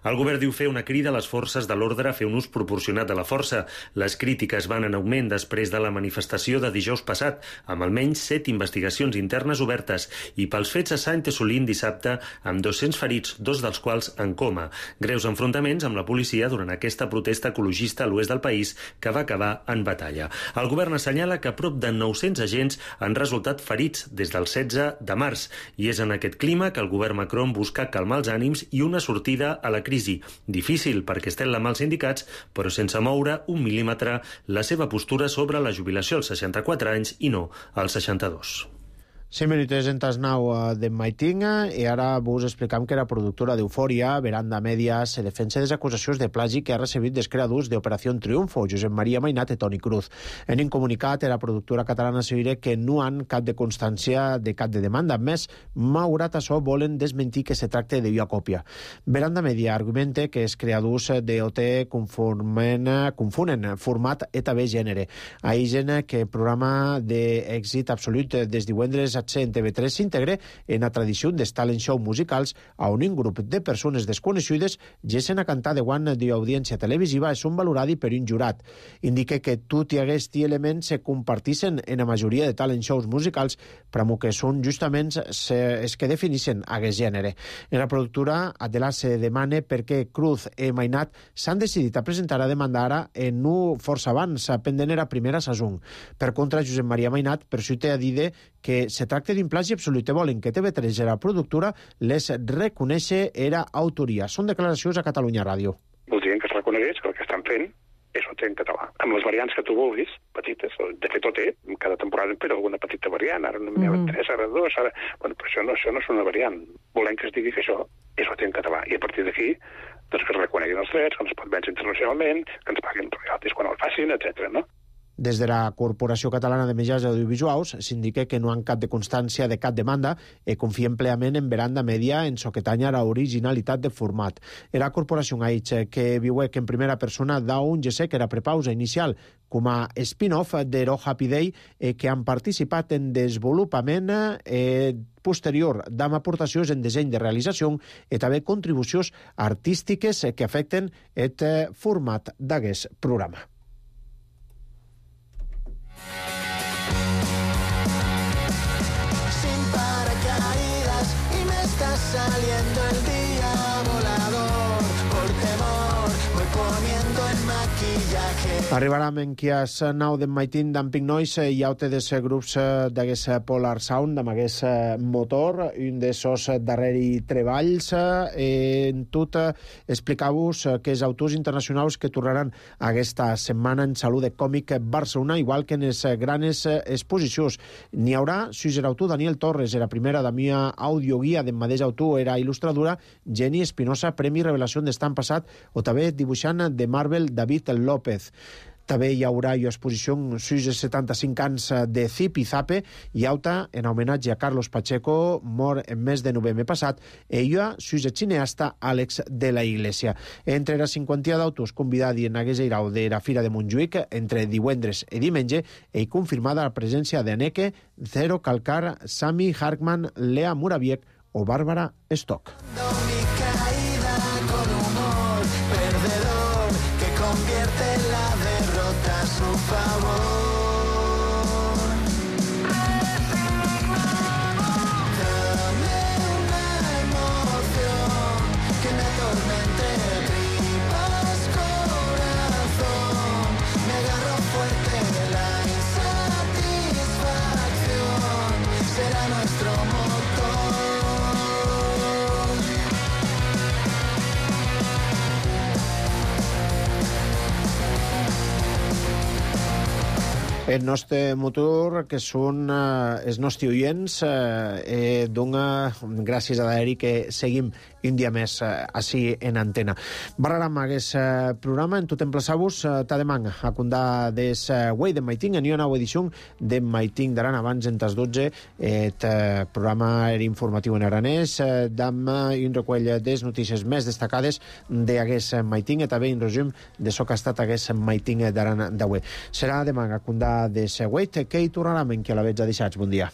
El govern diu fer una crida a les forces de l'ordre a fer un ús proporcionat de la força. Les crítiques van en augment després de la manifestació de dijous passat, amb almenys set investigacions internes obertes, i pels fets a Saint-Essolín dissabte, amb dos-cents ferits, dos dels quals en coma. Greus enfrontaments amb la policia durant aquesta protesta ecologista a l'oest del país, que va acabar en batalla. El govern assenyala que prop de nou-cents agents han resultat ferits des del setze de març, i és en aquest clima que el govern Macron busca calmar els ànims i una sortida a la crisi. Difícil perquè estan la mà els sindicats, però sense moure un mil·límetre la seva postura sobre la jubilació als seixanta-quatre anys i no als seixanta-dos. cinc minuts en tas nou de Maitinga i ara vos explicam que la productora d'Eufòria, Veranda Media, se defensa des acusacions de plagi que ha recebit dels creadors d'Operació Triunfo, Josep Maria Mainat i Toni Cruz. En un comunicat, la productora catalana assegura que no han cap de constància de cap de demanda. A més, malgrat això, volen desmentir que se tracta de via còpia. Veranda Media argumenta que els creadors d'O T confunen, confunen format i també gènere. Ahir que el programa d'èxit absolut des divendres a en T V tres s'integre en la tradició dels talent show musicals on un grup de persones desconegudes gessen a cantar de guant d'audiència televisiva i són valorats per un jurat. Indica que tot i aquests elements se comparteixen en la majoria de talent shows musicals, però que són justament els que defineixen aquest gènere. En la productora, Adela se demana perquè Cruz i Mainat s'han decidit a presentar a demandar ara en no força abans, pendent era primera sason. Per contra, Josep Maria Mainat persuite a dir que se tracta d'un plagi absolut i volen que T V tres, la productora, les reconèixer era autoria. Són declaracions a Catalunya Ràdio. Voldrien que es reconegués que el que estan fent és O T en català. Amb les variants que tu vulguis, petites, de fet O T, cada temporada en però alguna petita variant, ara no n'hi ha mm. tres, ara dos, ara... Bueno, però això no, això no és una variant. Volem que es digui que això és O T en català. I a partir d'aquí, doncs que es reconeguin els drets, que ens pot vèncer internacionalment, que ens paguin royalties quan el facin, etcètera, no? Des de la Corporació Catalana de Mitjans Audiovisuals s'indica que no han cap de constància de cap demanda i confien plenament en Veranda Media en soquetanya la originalitat de format. La corporació ha dit que viuec en primera persona d'un gesè que era prepausa inicial com a spin-off de Ro Happy Day i que han participat en desenvolupament eh, posterior d'amb aportacions en disseny de realització i també contribucions artístiques que afecten el format d'aquest programa. Saliendo el día volador, por temor, voy poniendo en maquillaje. Arribarem en qui és nou d'en Maitín d'en Pink Noise i aute dels grups d'aquest Polar Sound, amb aquest motor, un dels darreri treballs. En tot, explicar-vos que els autors internacionals que tornaran aquesta setmana en Salut de Còmic Barcelona, igual que en les grans exposicions. N'hi haurà sis autor Daniel Torres, era primera de mia audioguia d'en mateix autor, era il·lustradora Jenny Espinosa, Premi Revelació d'estan passat, o també dibuixant de Marvel David López. També hi haurà exposició sis setanta-cinc anys de Zip i Zape i auta en homenatge a Carlos Pacheco, mort en mes de novembre passat, i hi ha sis cineasta Àlex de la Iglesia. Entre la cinquantia d'autors convidats en aquest irau de la Fira de Montjuïc entre divendres i diumenge i confirmada la presència d'Aneke, Zero Calcar, Sami Harkman, Lea Muraviec o Bàrbara Stock. El nostre motor, que són eh, els nostres oients, eh, dona gràcies a l'Eri que seguim un dia més així en antena. Barraram hagués programa en tot emplaçar-vos ta demang a condar des Way de Maiting, en una nova edició de Maiting d'Aran abans en tas dotze, et programa era informatiu en aranès, d'am un recull des notícies més destacades d'agués Maiting i també un resum de so que ha estat agués Maiting d'Aran d'avui. Serà demà a condar des Way, que hi tornarem en qui a la veig a deixats. Bon dia.